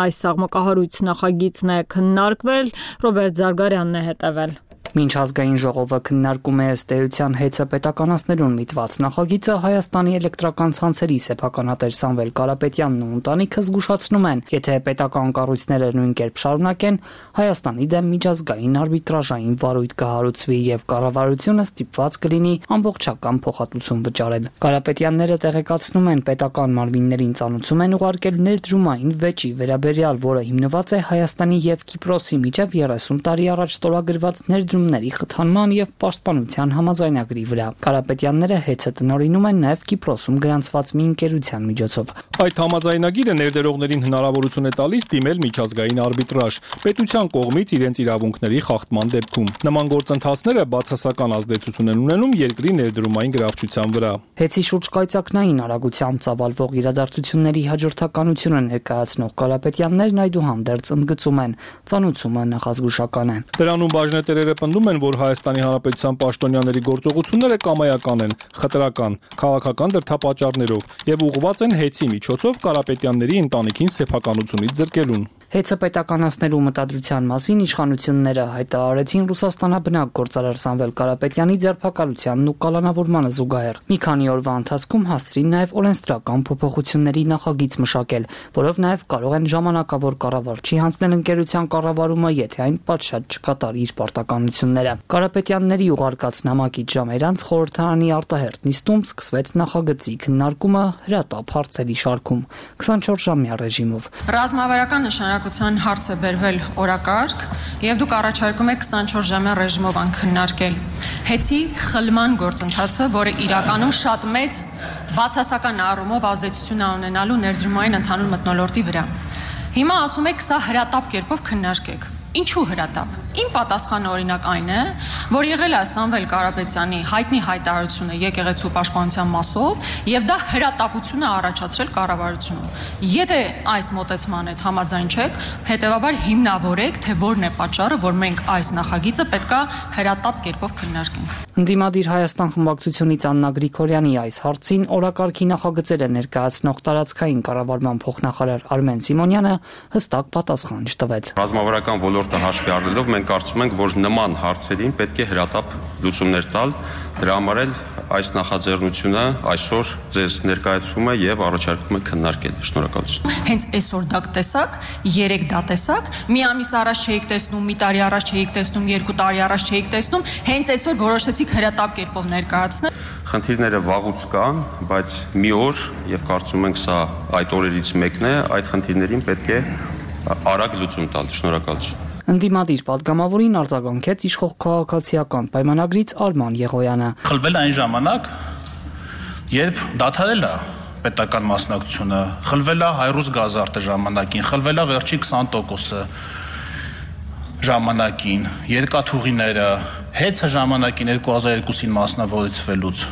այս աղմկահարույց նախագիծն է քննարկվել, Ռոբերտ Զարգարյանն է հետևել։ Մինչ ազգային ժողովը քննարկում է ըստ էության հեծը պետականացնելուն միտված նախագիծը, Հայաստանի էլեկտրական ցանցերի սեփականատեր Սամվել Կարապետյանն ու ընտանիքը զգուշացնում են, եթե պետական կառույցները նույն կերպ շարունակեն, Հայաստանի դեմ միջազգային արբիտրաժային վարույթ կհարուցվի եւ կառավարությունը ստիպված կլինի ամբողջական փոխհատուցում վճարել։ Կարապետյանները տեղեկացնում են, պետական մարմիններին ծանուցում են ուղարկել ներդրումային վեճի վերաբերյալ, որը հիմնված է Հայաստանի եւ Կիպրոսի միջև 30 տարի առաջ ստորագրված ներդրումների խթանման եւ պաշտպանության համաձայնագրի վրա։ Կարապետյանները հեծը տնօրինում են նաեւ Կիպրոսում գրանցված մի ընկերության միջոցով։ Այդ համաձայնագիրը ներդրողներին հնարավորություն է տալիս դիմել միջազգային արբիտրաժ պետության կողմից իրենց իրավունքների խախտման դեպքում։ Նման գործընթացները բացասական ազդեցություն են ունենում երկրի ներդրումային գրավչության վրա։ Հեծի շուրջ կայծակնային արագությամբ ծավալվող իրադարձությունների հաջորդականությունը ներկայացնող Կարապետյաններն այդուհանդերձ ընդգծում են, ծանուցումը նախազգուշական է։ Դրանում բաժնետերերը պնդում են, որ Հայաստանի Հանրապետության պաշտոնյաների գործողությունները կամայական են, խտրական, քաղաքական դրդապատճառներով եւ ուղղված են հեծի միջոցով Կարապետյանների ընտանիքին սեփականությունից զրկելուն։ Հեծը պետականացնելու մտադրության մասին իշխանությունները հայտարարեցին Ռուսաստանաբնակ գործարար Սամվել Կարապետյանի ձերբակալությանն ու կալանավորմանը զուգահեռ։ Մի քանի օրվա ընթացքում հասցրին նաև օրենսդրական փոփոխությունների նախագիծ մշակել, որով նաև կարող են ժամանակավոր կառավարչի հանձնել ընկերության կառավարումը, եթե այն պատշաճ չկատարի իր պարտականությունները։ Կարապետյանների ուղարկած նամակից ժամեր անց խորհրդարանի արտահերթ նիստում սկսվեց նախագծի քննարկումը հրատապ հարցերի շարքում 24-ժամյա ռեժիմով։ Ռազմավարական նշանակության հարց է բերվել օրակարգ եւ դուք առաջարկում եք 24-ժամյա ռեժիմով քննարկել հեծի խլման գործընթացը, որը իրականում շատ մեծ բացասական առումով ազդեցություն է ունենալու ներդրումային ընդհանուր մթնոլորտի վրա։ Հիմա ասում եք սա հրատապ կերպով քննարկեք։ Ինչու հրատապ։ Իմ պատասխանը օրինակ այն է, որ եղել է Սամվել Կարապետյանի հայտնի հայտարարությունը եկեղեցու պաշտպանության մասով եւ դա հրատապություն է առաջացրել կառավարությունում։ Եթե այս մոտեցման հետ համաձայն չեք, հետեւաբար հիմնավորեք, թե որն է պատճառը, որ մենք այս նախագիծը պետքա հրատապ կերպով քննարկենք։ Ընդդիմադիր Հայաստան խմբակցությունից Աննա Գրիգորյանի այս հարցին օրակարգի նախագծերը ներկայացնող տարածքային կառավարման փոխնախարար Արմեն Սիմոնյանը հստակ պատասխան չտվեց։ Ռազմավարական ոլորտը հաշվի առնելով մենք կարծում ենք, որ նման հարցերին պետք է հրատապ լուծումներ տալ, դրա համար էլ այս նախաձեռնությունը այսօր ձեզ ներկայացվում է եւ առաջարկում է քննարկել։ Շնորհակալություն։ Հենց այսօր դա տեսակ, 3 դա տեսակ, մի ամիս առաջ չէիք տեսնում, մի տարի առաջ չէիք տեսնում, 2 տարի առաջ չէիք տեսնում, հենց այսօր որոշեցիք հրատապ կերպով ներկայացնել։ Խնդիրները վաղուց կան, բայց մի օր եւ կարծում ենք սա այդ օրերից մեկն է, այդ խնդիրներին պետք է արագ լուծում տալ։ Շնորհակալություն։ Ընդդիմադիր պատգամավորին արձագանքեց իշխող քաղաքացիական պայմանագրից Արման Եղոյանը։ Խլվել այն ժամանակ, երբ դադարել է պետական մասնակցությունը, խլվել է Հայրուս գազարտը ժամանակին, խլվել է վերջի 20%-ը ժամանակին, երկաթուղիները, հեծը ժամանակին 2002-ին մասնավորեցվելուց։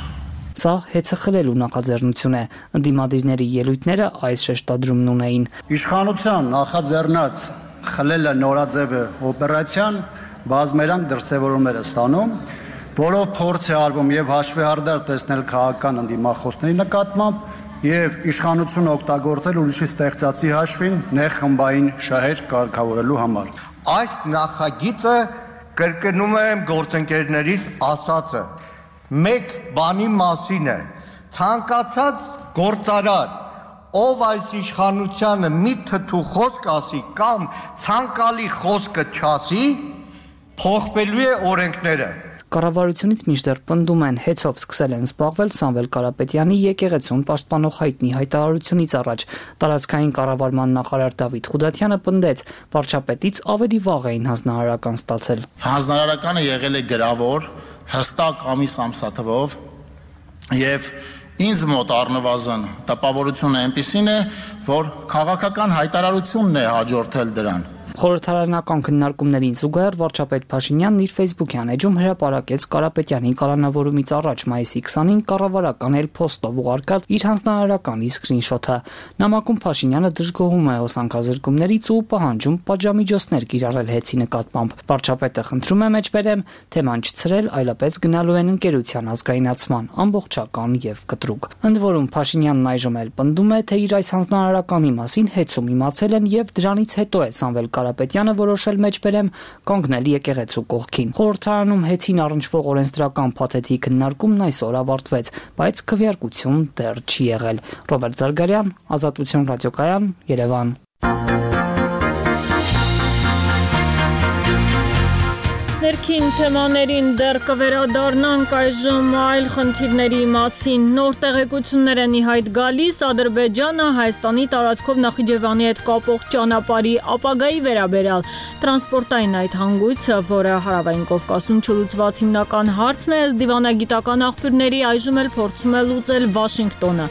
Սա հեծը խլելու նախաձեռնություն է։ Ընդդիմադիրների ելույթները այս շեշտադրումն ունեին։ Իշխանության նախաձեռնած խլելը նորաձևը օպերացիան բազմերանգ դրսևորումներ է ստանում, որով փորձ է արվում եւ հաշվեհարդար տեսնել քաղաքական ընդդիմախոսների նկատմամբ եւ իշխանությունը օգտագործել ուրիշի ստեղծածի հաշվին նեղ խմբային շահեր կարգավորելու համար։ Այս նախագիծը կրկնում եմ գործընկերներից ասածը, մեկ բանի մասին է, ցանկացած գործարար, ով այս իշխանությանը մի թթու խոսք ասի կամ ցանկալի խոսքը չասի, փոխվելու է օրենքները։ Կառավարությունից մինչդեռ պնդում են, հեծով սկսել են զբաղվել Սամվել Կարապետյանի եկեղեցուն պաշտպանող հայտնի հայտարարությունից առաջ։ Տարածքային կառավարման նախարար Դավիթ Խուդատյանը պնդեց, վարչապետից ավելի վաղ էին հանձնարարական ստացել։ Հանձնարարականը եղել է գրավոր, հստակ ամիս-ամսաթվով եւ ինձ մոտ առնվազն տպավորությունը այնպիսին է, որ քաղաքական հայտարարությունն է հաջորդել դրան։ Խորհրդարանական քննարկումներին զուգահեռ վարչապետ Փաշինյանն իր Facebook-յան էջում հրապարակեց Կարապետյանի կալանավորումից առաջ մայիսի 20-ին կառավարական էլ-փոստով ուղարկած իր հանձնարարականի սկրինշոթը։ Նամակում Փաշինյանը դժգոհում է հոսանքազրկումներից ու պահանջում պատժամիջոցներ կիրառել հեծի նկատմամբ։ Վարչապետը խնդրում է մեջբերեմ թեման չցրել, այլապես գնալու են ընկերության ազգայնացման, ամբողջական եւ կտրուկ։ Ընդ որում Փաշինյանն այժմ էլ պնդում է, թե իր այս հանձնարարականի մասին հեծում իմացել են եւ դրանից հետո է Սամվել Կարապետյանը որոշել մեջբերեմ կանգնել եկեղեցու կողքին։ Խորհրդարանում հեծին առնչվող օրենսդրական փաթեթի քննարկումն այսօր ավարտվեց, բայց քվեարկություն դեռ չի եղել։ Ռոբերտ Զարգարյան, Ազատություն ռադիոկայան, Երևան։ Ներքին թեմաներին դեռ կվերադառնանք այժմ այլ խնդիրների մասին։ Նոր տեղեկություններ են ի հայտ գալիս Ադրբեջանը Հայաստանի տարածքով Նախիջևանի հետ կապող ճանապարհի ապագայի վերաբերյալ։ Տրանսպորտային այդ հանգույցը, որը Հարավային Կովկասում չլուծված հիմնական հարցն է, դիվանագիտական աղբյուրների այժմ էլ փորձում է լուծել Վաշինգտոնը։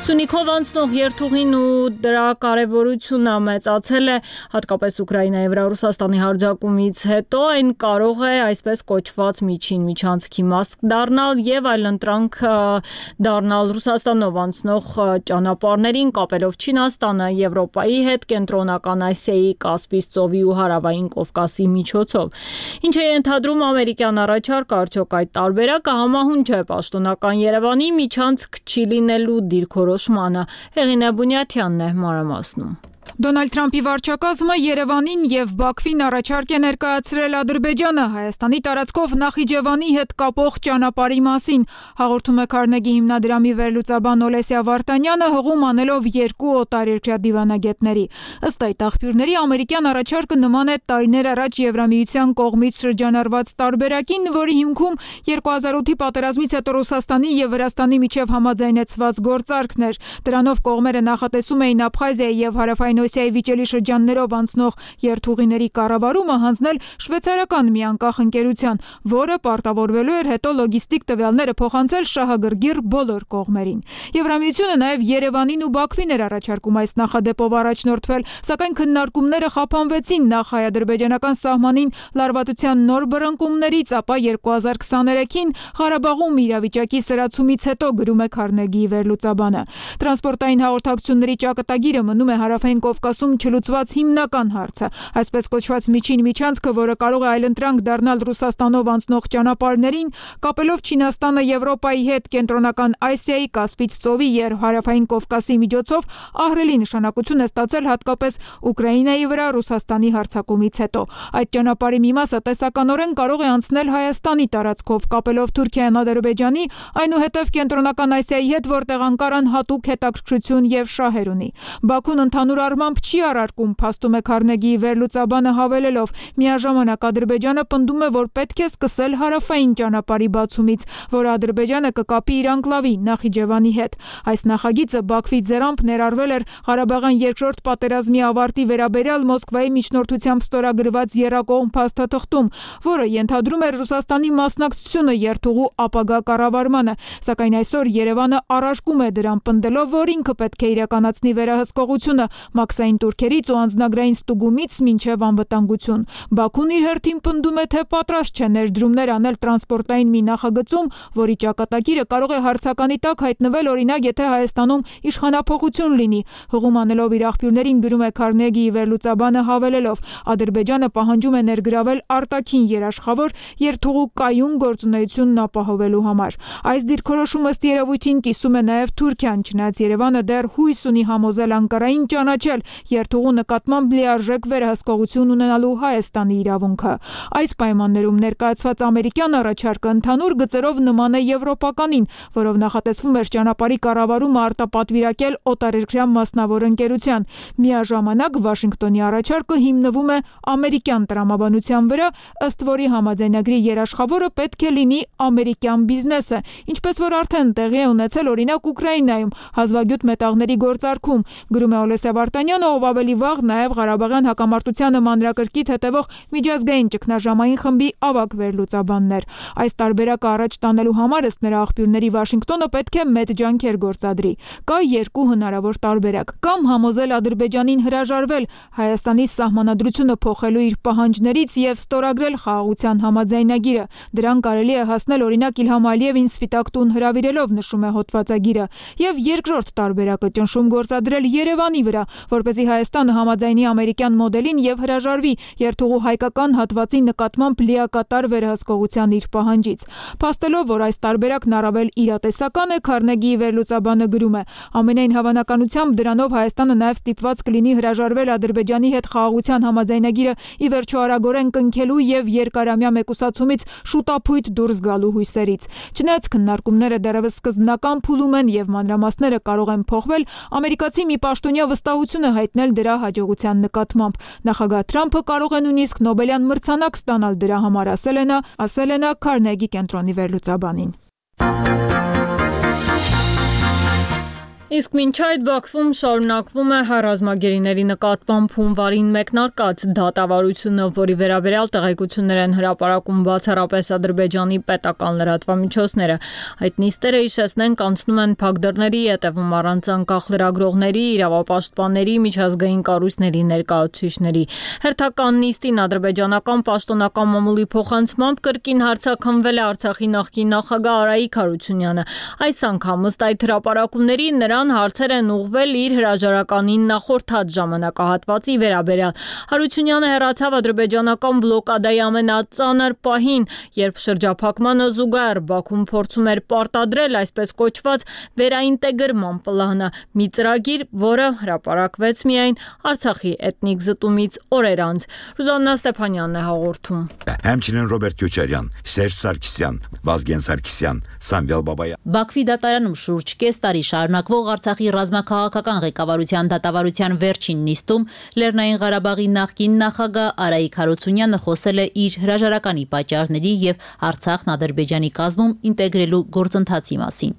Սյունիքով անցնող երթուղին ու դրա կարևորությունը մեծացել է, հատկապես Ուկրաինայի վրա Ռուսաստանի հարձակումից հետո այն կարող է այսպես կոչված միջին միջանցքի մաս դառնալ եւ այլընտրանք դառնալ Ռուսաստանով անցնող ճանապարհներին կապելով Չինաստանը Եվրոպայի հետ, Կենտրոնական Ասիայի, Կասպից ծովի ու Հարավային Կովկասի միջոցով։ Ինչ է ենթադրում ամերիկյան առաջարկը, արդյոք այդ տարբերակը համահունչ է պաշտոնական Երևանի միջանցք չի լինելու դիրքորոշմանը։ Հեղինե Բունյաթյանն է մանրամասնում։ Դոնալդ Թրամփի վարչակազմը Երևանին եւ Բաքվին առաջարկ է ներկայացրել Ադրբեջանը Հայաստանի տարածքով Նախիջևանի հետ կապող ճանապարհի մասին, հաղորդում է Քարնեգի հիմնադրամի վերլուծաբան Օլեսիա Վարդանյանը, հղում անելով երկու օտարերկրյա դիվանագետների։ Ըստ այդ աղբյուրների ամերիկյան առաջարկը նման է տարիներ առաջ Եվրամիության կողմից շրջանառված տարբերակին, որի հիմքում 2008-ի պատերազմից հետո Ռուսաստանի եւ Վրաստանի միջև համաձայնեցված գործարքն էր։ Դրանով կողմերը նախատեսում էին Աբխազիայի եւ Հարավային Օսիայի վիճելի շրջաններով անցնող երթուղիների կառավարումը հանձնել շվեյցարական մի անկախ ընկերության, որը պարտավորվելու էր հետո լոգիստիկ տվյալները փոխանցել շահագրգիռ բոլոր կողմերին։ Եվրամիությունը նաև Երևանին ու Բաքվին էր առաջարկում այս նախադեպով առաջնորդվել, սակայն քննարկումները խափանվեցին նախ հայ-ադրբեջանական սահմանին լարվածության նոր բռնկումներից, ապա 2023-ին Ղարաբաղում իրավիճակի սրացումից հետո, գրում է Քարնեգիի վերլուծաբանը։ Տրանսպորտային հաղորդակցությունների ճակատագիրը մնում է Հարավային Կովկասում չլուծված հիմնական հարցը, այսպես կոչված միջին միջանցքը, որը կարող է այլընտրանք դառնալ Ռուսաստանով անցնող ճանապարհներին, կապելով Չինաստանը Եվրոպայի հետ, Կենտրոնական Ասիայի, Կասպից ծովի եւ Հարավային Կովկասի միջոցով ահռելի նշանակություն է ստացել հատկապես Ուկրաինայի վրա Ռուսաստանի հարձակումից հետո։ Այդ ճանապարհի մի մասը տեսականորեն կարող է անցնել Հայաստանի տարածքով, կապելով Թուրքիան Ադրբեջանի, այնուհետև Կենտրոնական Ասիայի հետ, որտեղ Անկարան հատուկ հետաքրքրություն եւ շահեր ունի։ Բաքուն ընդհանուր առմամբ չի արարքում, փաստում է Քարնեգիի վերլուծաբանը հավելելով, միաժամանակ Ադրբեջանը պնդում է, որ պետք է սկսել հարավային ճանապարհի բացումից, որ Ադրբեջանը կկապի իր անկլավի Նախիջևանի հետ։ Այս նախագիծը Բաքվի ձեռամբ ներառվել էր Ղարաբաղյան երկրորդ պատերազմի ավարտի վերաբերյալ Մոսկվայի միջնորդությամբ ստորագրված եռակողմ փաստաթղթում, որը ենթադրում էր Ռուսաստանի մասնակցությունը երթուղու ապագա կառավարմանը, սակայն այսօր Երևանը առարկում է դրան, պնդելով, որ ինքը պետք է իրականացնի վերահսկողությունը մաքսային տուրքերից ու անձնագրային ստուգումից մինչև անվտանգություն։ Բաքուն իր հերթին պնդում է, թե պատրաստ չէ ներդրումներ անել տրանսպորտային մի նախագծում, որի ճակատագիրը կարող է հարցականի տակ հայտնվել, օրինակ, եթե Հայաստանում իշխանափոխություն լինի։ Հղում անելով իր աղբյուրներին, գրում է Քարնեգիի վերլուծաբանը հավելելով, Ադրբեջանը պահանջում է ներգրավել արտաքին երաշխավոր երթուղու կայուն գործունեությունն ապահովելու համար։ Այս դիրքորոշումը ըստ երևույթին կիսում է նաև Թուրքիան, չնայած Երևանը դեռ հույս ունի համոզել Անկարային ճանաչել երթուղու նկատմամբ լիարժեք վերահսկողություն ունենալու Հայաստանի իրավունքը։ Այս պայմաններում ներկայացված ամերիկյան առաջարկը ընդհանուր գծերով նման է եվրոպականին, որով նախատեսվում էր ճանապարհի կառավարումը արտապատվիրակել օտարերկրյա մասնավոր ընկերության։ Միաժամանակ Վաշինգտոնի առաջարկը հիմնվում է ամերիկյան տրամաբանության վրա, ըստ որի համաձայնագրի երաշխավորը պետք է լինի ամերիկյան բիզնեսը, ինչպես որ արդեն տեղի է ունեցել օրինակ Ուկրաինայում հազվագյուտ մետաղների գործարքում, գրում է Օլեսիա Վարդանյանը, ով ավելի վաղ նաև Ղարաբաղյան հակամարտությանը մանրակրկիտ հետևող միջազգային ճգնաժամային խմբի ավագ վերլուծաբանն էր։ Այս տարբերակը առաջ տանելու համար ըստ նրա աղբյուրների Վաշինգտոնը պետք է մեծ ջանքեր գործադրի։ Կա երկու հնարավոր տարբերակ՝ կամ համոզել Ադրբեջանին հրաժարվել Հայաստանի սահմանադրությունը փոխելու իր պահանջներից եւ ստորագրել խաղաղության համաձայնագիրը։ Դրան կարելի է հասնել օրինակ Իլհամ Ալիևին Սպիտակ տուն հրավիրելով, նշում է հոդվածագիրը։ Եվ երկրորդ տարբերակը ճնշում գործադրել Երևանի վրա, որպեսզի Հայաստանը համաձայնի ամերիկյան մոդելին եւ հրաժարվի երթուղու հայկական հատվածի նկատմամբ լիակատար վերահսկողության իր պահանջից։ Փաստելով, որ այս տարբերակն առավել իրատեսական է, Քարնեգիի վերլուծաբանը գրում է. ամենայն հավանականությամբ դրանով Հայաստանը նաեւ ստիպված կլինի հրաժարվել Ադրբեջանի հետ խաղաղության համաձայնագիրը ի վերջո արագորեն կնքելու եւ երկարամյա մեկուսացումից շուտափույթ դուրս գալու հույսերից։ Չնայած քննարկումները դեռևս սկզբնական փուլում են եւ մանրամասները կարող են փոխվել, ամերիկացի մի պաշտոնյա վստահություն է հայտնել դրա հաջողության նկատմամբ։ Նախագահ Թրամփը կարող է նույնիսկ Նոբելյան մրցանակ ստանալ դրա համար, ասել է նա Քարնեգի կենտրոնի վերլուծաբանին։ Իսկ մինչ այդ Բաքվում շարունակվում է ռազմագերիների նկատմամբ հունվարին մեկնարկած դատավարությունը, որի վերաբերյալ տեղեկություններ են հրապարակում բացառապես Ադրբեջանի պետական լրատվամիջոցները։ Այդ նիստերը, հիշեցնենք, անցնում են փակ դռների ետևում առանց անկախ լրագրողների, իրավապաշտպանների, միջազգային կառույցների ներկայացուցիչների։ Հերթական նիստին ադրբեջանական պաշտոնական մամուլի փոխանցմամբ կրկին հարցաքննվել է Արցախի նախկին նախագահ Արայիկ Հարությունյանը։ Այս անգամ ըստ այդ հրապարակումների հարցեր են ուղղվել իր հրաժարականին նախորդած ժամանակահատվածի վերաբերյալ։ Հարությունյանը հեռացավ ադրբեջանական բլոկադայի ամենածանր պահին, երբ շրջափակմանը զուգահեռ Բաքուն փորձում էր պարտադրել այսպես կոչված վերաինտեգրման պլանը, մի ծրագիր, որը հրապարակվեց միայն Արցախի էթնիկ զտումից օրեր անց։ Ռուզաննա Ստեփանյանն է հաղորդում։ Համչինեն Ռոբերտ Քյոչարյան, Սերժ Սարգսյան, Վազգեն Սարգսյան, Սամվել Բաբայան։ Բաքվի դատարանում շուրջ կես տարի շարունակվող Արցախի ռազմաքաղաքական ղեկավարության դատավարության վերջին նիստում Լեռնային Ղարաբաղի նախկին նախագահ Արայիկ Հարությունյանը խոսել է իր հրաժարականի պատճառների եւ Արցախն Ադրբեջանի կազմում ինտեգրելու գործընթացի մասին։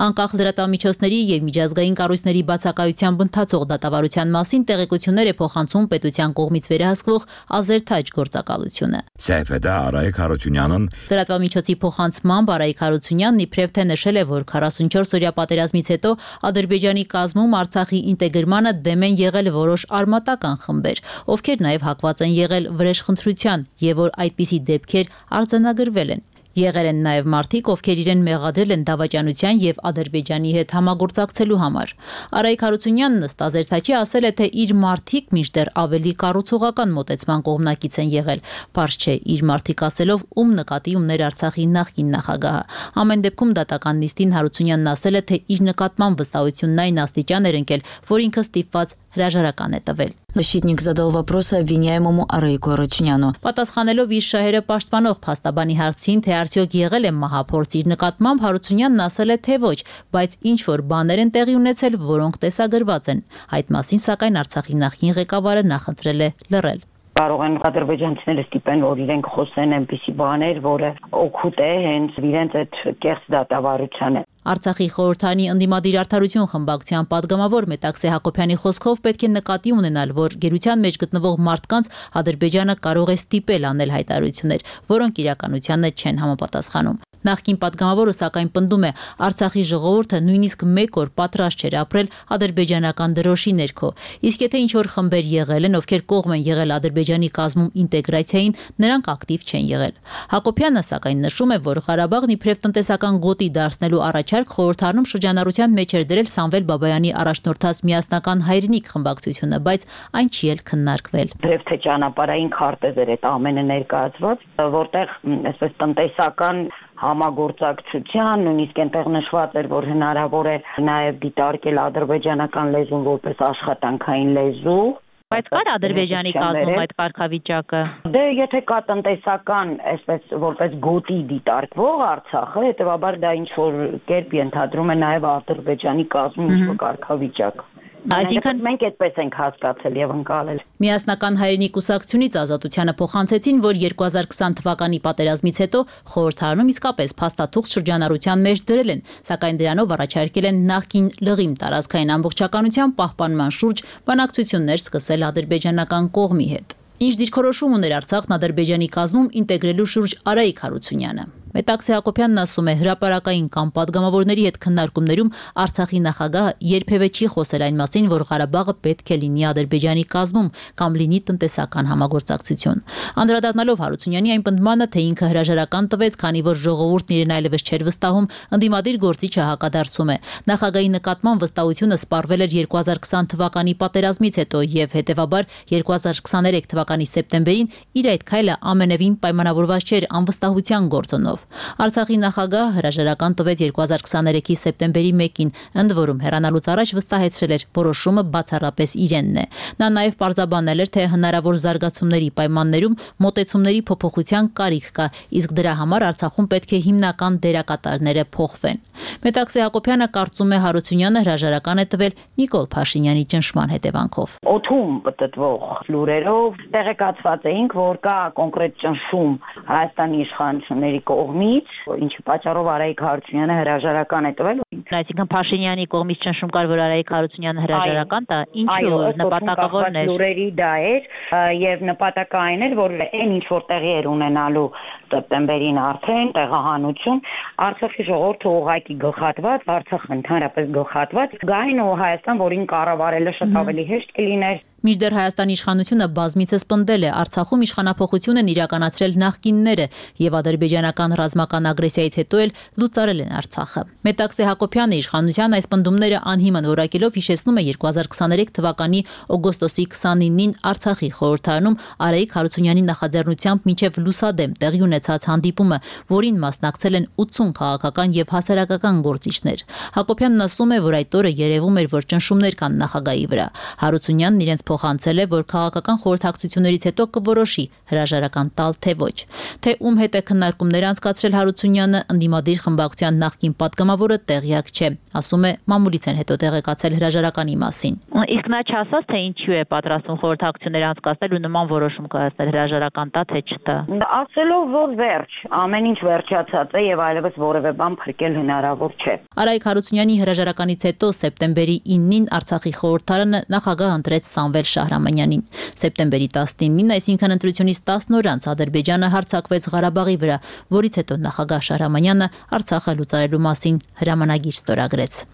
Անկախ լրատվամիջոցների եւ միջազգային կառույցների բացակայությամբ ընթացող դատավարության մասին տեղեկություններ է փոխանցում պետության կողմից վերահսկվող Ազերթաջ գործակալությունը։ Սեփեդա Արայիկ Հարությունյանն լրատվամիջոցի փոխանցմամբ Արայիկ Հարությունյանն իբրև թե նշել է, որ 44-օրյա պատերազմից հետո Ադրբեջանի կազմում Արցախի ինտեգրմանը դեմ են եղել որոշ արմատական խմբեր, ովքեր նաև հակված են եղել վրեժխնդրության եւ որ այդպիսի դեպքեր արձանագրվել են։ Եղել են նաև մարդիկ, ովքեր իրեն մեղադրել են դավաճանության եւ Ադրբեջանի հետ համագործակցելու համար։ Արայիկ Հարությունյանն ըստ Ազերթաչի ասել է, թե իր մարդիկ մինչդեռ ավելի կառուցողական մոտեցման կողմնակից են եղել։ Պարզ չէ իր մարդիկ ասելով ում նկատի ուներ Արցախի նախկին նախագահը։ Ամեն դեպքում դատական նիստին Հարությունյանն ասել է, թե իր նկատմամբ վստահությունն այն աստիճան էր ընկել, որ ինքը ստիպված հրաժարական է տվել։ Защитник задал вопросы обвиняемому Арայիկу Հարությունյանը։ Պատասխանելով իր շահերը պաշտպանող փաստաբանի հարցին, թե արդյոք եղել է մահափորձ իր նկատմամբ, Հարությունյանն ասել է, թե ոչ, բայց ինչ որ բաներ են տեղի ունեցել, որոնք տեսագրված են։ Այդ մասին սակայն Արցախի նախկին ղեկավարը նախընտրել է լռել։ Կարող են ադրբեջանցիները ստիպեն, որ իրենք խոսեն այնպիսի բաներ, որը օգուտ է հենց իրենց այդ կեղծ դատավարությանը։ Արցախի խորհրդանի ընդդիմադիր արդարություն խմբակցության падգամավոր Մետաքսե Հակոբյանի խոսքով պետք է նկատի ունենալ, որ գերության մեջ գտնվող մարդկանց Ադրբեջանը կարող է ստիպել անել հայտարարություններ, որոնք իրականությանը չեն համապատասխանում։ Նախկին падգամավորը սակայն պնդում է, Արցախի ժողովուրդը նույնիսկ մեկ օր պատրաստ չէր ապրել ադրբեջանական դրոշի ներքո։ Իսկ եթե ինչ-որ խմբեր եղել են, ովքեր կողմ են եղել Ադրբեջանի կազմում ինտեգրացիային, նրանք ակտիվ չեն եղել։ Հակոբյանը սակայն նշում է, որ Ղարաբաղն իբրև տնտեսական գոտի դարձնելու առաջարկ խորհրդարանում շրջանառության մեջ էր դրել Սամվել Բաբայանի առաջնորդած միասնական հայրենիք խմբակցությունը, բայց այն չի էլ քննարկվել։ Դրև թե ճանապարհային քարտեզ էր այդ ամենը ներկայացված, որտեղ այսպես տնտեսական համագործակցության, նույնիսկ այնտեղ նշված էր, որ հնարավոր է նաև դիտարկել ադրբեջանական լեզուն որպես աշխատանքային լեզու։ Բայց կար Ադրբեջանի կազմում այդ կարգավիճակը։ Դե եթե կա տնտեսական, այսպես որպես գոտի դիտարկվող Արցախը, հետեւաբար դա ինչ որ կերպ ենթադրում է նաև Ադրբեջանի կազմում ինչ-որ կարգավիճակ։ Այսինքն մենք այդպես ենք հասկացել եւ ընկալել։ Միասնական հայրենիք կուսակցությունից Ազատությանը փոխանցեցին, որ 2020 թվականի պատերազմից հետո խորհրդարանում իսկապես փաստաթուղթ շրջանառության մեջ դրել են, սակայն դրանով առաջարկել են նախկին լղիմ տարածքային ամբողջականության պահպանման շուրջ բանակցություններ սկսել ադրբեջանական կողմի հետ։ Ինչ դիրքորոշում ուներ Արցախն Ադրբեջանի կազմում ինտեգրելու շուրջ Արայիկ Հարությունյանը։ Մետաքսե Հակոբյանն ասում է, հրապարակային կամ պատգամավորների հետ քննարկումներում Արցախի նախագահը երբևէ չի խոսել այն մասին, որ Ղարաբաղը պետք է լինի Ադրբեջանի կազմում կամ լինի տնտեսական համագործակցություն։ Անդրադառնալով Հարությունյանի այն պնդմանը, թե ինքը հրաժարական տվեց, քանի որ ժողովուրդն իրեն այլևս չէր վստահում, ընդդիմադիր գործիչը հակադարձում է։ Նախագահի նկատմամբ վստահությունը սպառվել էր 2020 թվականի պատերազմից հետո եւ հետեւաբար 2023 թվականի սեպտեմբերին իր այդ քայլը ամենևին պայմանավորված չէր անվստահության գործոնով։ Արցախի նախագահը հրաժարական տվեց 2023-ի սեպտեմբերի 1-ին, ընդ որում հեռանալուց առաջ վստահեցրել էր, որոշումը բացառապես իրենն է։ Նա նաև պարզաբանել էր, թե հնարավոր զարգացումների պայմաններում մոտեցումների փոփոխության կարիք կա, իսկ դրա համար Արցախում պետք է հիմնական դերակատարները փոխվեն։ Մետաքսե Հակոբյանը կարծում է Հարությունյանը հրաժարական է տվել Նիկոլ Փաշինյանի ճնշման հետևանքով։ Օդում պատտվող լուրերով տեղեկացված էինք, որ կա կոնկրետ ճնշում Հայաստանի իշխանությունների կողմից, ինչի պատճառով Արայիկ Հարությունյանը հրաժարական է տվել։ Այսինքն Փաշինյանի կողմից ճնշում կար, որ Արայիկ Հարությունյանը հրաժարական տա, ինչու նպատակավորն էր։ Լուրերի դա էր եւ նպատակը այն էր, որ այն ինչ որ տեղի էր ունենալու սեպտեմբերին արդեն տեղահանություն, Արցախի ժողովուրդը ուղղակի գլխատված, Արցախը ընդհանրապես գլխատված, գային ու Հայաստան, որին կառավարելը շատ ավելի հեշտ կլիներ։ Մինչդեռ Հայաստանի իշխանությունը բազմիցս պնդել է, Արցախում իշխանափոխություն են իրականացրել նախկինները եւ ադրբեջանական ռազմական ագրեսիայից հետո էլ լուծարել են Արցախը։ Մետաքսե Հակոբյանը իշխանության այս պնդումները անհիմն որակելով հիշեցնում է 2023 թվականի օգոստոսի 29-ին Արցախի խորհրդարանում Արայիկ Հարությունյանի նախաձեռնությամբ մինչև լուսադեմ տեղի ունեցած հանդիպումը, որին մասնակցել են 80 քաղաքական եւ հասարակական գործիչներ։ Հակոբյանն ասում է, որ այդ օրը երևում էր, որ ճնշումներ կան նախագահի վրա։ Հարությունյանն իրենց փոխանցել է, որ քաղաքական խորհրդակցություններից հետո կորոշի հրաժարական տալ թե ոչ։ Թե ում հետ է քննարկումներ անցկացրել Հարությունյանը, ընդդիմադիր խմբակցության նախկին պատգամավորը տեղյակ չէ։ Ասում է, մամուլից են հետո տեղեկացել հրաժարականի մասին։ Իսկ նա չասաց, թե ինչու է պատրաստվում խորհրդակցություններ անցկացնել ու նման որոշում կայացնել հրաժարական տա թե չտա։ Ասելով, որ վերջ, ամեն ինչ վերջացած է եւ այլևս որևէ բան փրկել հնարավոր չէ։ Արայիկ Հարությունյանի հրաժարականից հետո սեպտեմբերի 9-ին Արցախի խորհրդարանը նախագահ ընտրեց Սամվել Շահրամանյանին։ Սեպտեմբերի 19-ին, այսինքն ընտրությունից 10 օր անց Ադրբեջանը հարձակվեց Ղարաբաղի վրա, որից հետո նախագահ Շահրամանյանը Արցախը լուծարելու մասին հրամանագիր ստորագրեց։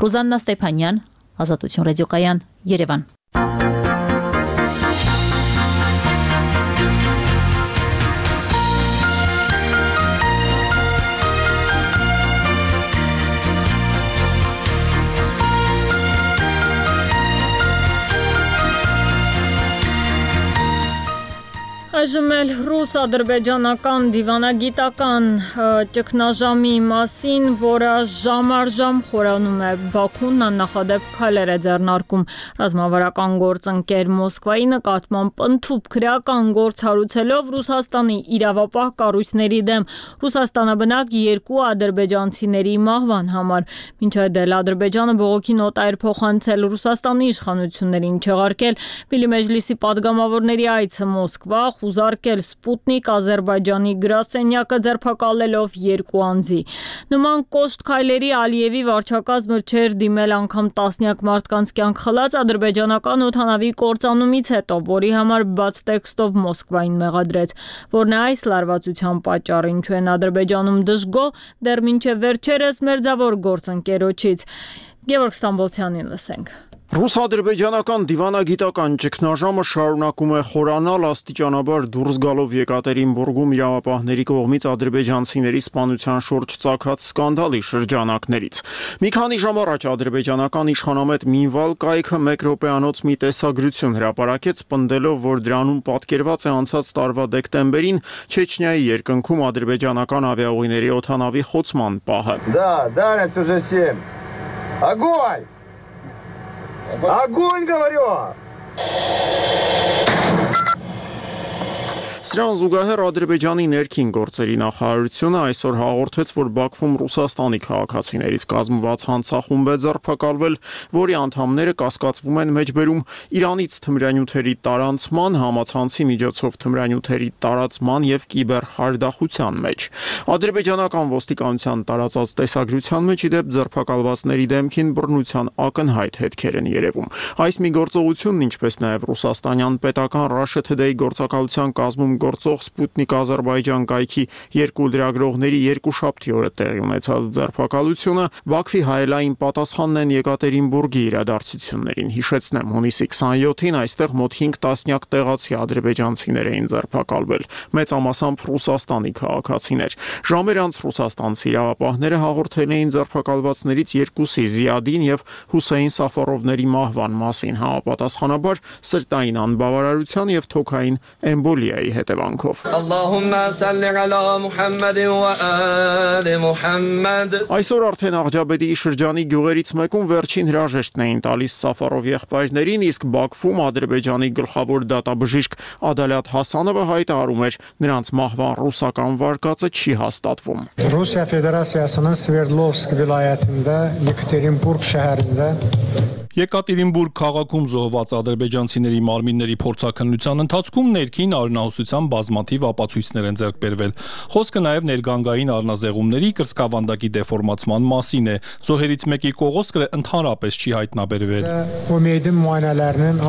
Ռուզաննա Ստեփանյան, Ազատություն ռադիոկայան, Երևան։ Այժմ էլ ռուս-ադրբեջանական դիվանագիտական ճգնաժամի մասին, որը ժամ առ ժամ խորանում է Բաքուն, աննախադեպ քայլեր է ձեռնարկում ռազմավարական գործընկեր Մոսկվայի նկատմամբ ընդཐུպ քրեական գործ հարուցելով Ռուսաստանի իրավապահ կառույցների դեմ Ռուսաստանաբնակ 2 ադրբեջանցիների մահվան համար։ Մինչ այդ էլ Ադրբեջանը բողոքի նոտա էր փոխանցել Ռուսաստանի իշխանություններին, չեղարկել Միլի մեջլիսի պատգամավորների այցը Մոսկվա, ուզարկել Սպուտնիկ Ադրբեջանի գրասենյակը ձերբակալելով 2 անձի։ Նման կոշտ քայլերի Ալիևի վարչակազմը չէր դիմել անգամ տասնյակ մարդկանց կյանք խլած ադրբեջանական օդանավի կործանումից հետո, որի համար բաց տեքստով Մոսկվային մեղադրեց, որն է այս լարվածության պատճառը, ինչու են Ադրբեջանում դժգոհ դեռ մինչև վերջերս մերձավոր գործընկերոջից։ Գևորգ Ստամբոլցյանին լսենք։ Ռուս-ադրբեջանական դիվանագիտական ճգնաժամը շարունակում է խորանալ, աստիճանաբար դուրս գալով Եկատերինբուրգում իրավապահների կողմից ադրբեջանցիների սպանության շուրջ ծագած սկանդալի շրջանակներից։ Մի քանի ժամ առաջ ադրբեջանական իշխանամետ Մինվալ կայքը 1 րոպեանոց մի տեսագրություն հրապարակեց, պնդելով, որ դրանում պատկերված է անցած տարվա դեկտեմբերին Չեչնիայի երկնքում ադրբեջանական ավիաուղիների օդանավի խոցման պահը։ Да, дальность уже 7. Огонь! Огонь, говорю! Սրան զուգահեռ Ադրբեջանի ներքին գործերի նախարարությունը այսօր հաղորդեց, որ Բաքվում Ռուսաստանի քաղաքացիներից կազմված հանցախումբ է ձերբակալվել, որի անդամները կասկածվում են մեջբերում Իրանից թմրանյութերի տարանցման, համացանցի միջոցով թմրանյութերի տարածման եւ կիբերխարդախության մեջ։ Ադրբեջանական ոստիկանության տարածած տեսագրության մեջ իդեպ ձերբակալվածների դեմքին բռնության ակնհայտ հետքեր են երևում։ Այս մի գործողությունն, ինչպես նաեւ ռուսաստանյան պետական Russia Today գործակալության կազմում գործող Սպուտնիկ Ադրբեջան կայքի երկու լրագրողների երկուշաբթի օրը տեղի ունեցած ձերբակալությունը Բաքվի հայելային պատասխանն են Եկատերինբուրգի իրադարձություններին։ Հիշեցնեմ, հունիսի 27-ին այստեղ մոտ 5 տասնյակ տեղացի ադրբեջանցիներ էին ձերբակալվել, մեծամասամբ Ռուսաստանի քաղաքացիներ։ Ժամեր անց ռուսաստանցի իրավապահները հաղորդել էին ձերբակալվածներից երկուսի Զիադին եւ Հուսեյն Սաֆարովների մահվան մասին, համապատասխանաբար սրտային անբավարարության եւ թոքային էմբոլիայի հետևանքով։ Այսօր արդեն Աղջաբեդիի շրջանի գյուղերից մեկում վերջին հրաժեշտն էին տալիս Սաֆարով եղբայրներին, իսկ Բաքվում Ադրբեջանի գլխավոր դատաբժիշկ Ադալատ Հասանովը հայտարարում էր, նրանց մահվան ռուսական վարկածը չի հաստատվում։ Ռուսիա Ֆեդերացիասının Sverdlovsk vilayətində Yekaterinburg şəhərində Եկատերինբուրգ քաղաքում զոհված ադրբեջանցիների մարմինների փորձաքննության ընթացքում ներքին արյունահոսության բազմաթիվ ապացույցներ են ձեռք բերվել։ Խոսքը նաև ներգանգային առնազեղումների կրծքավանդակի դեֆորմացման մասին է։ Զոհերից մեկի կողոսկրը ընդհանրապես չի հայտնաբերվել։ Müəyyidin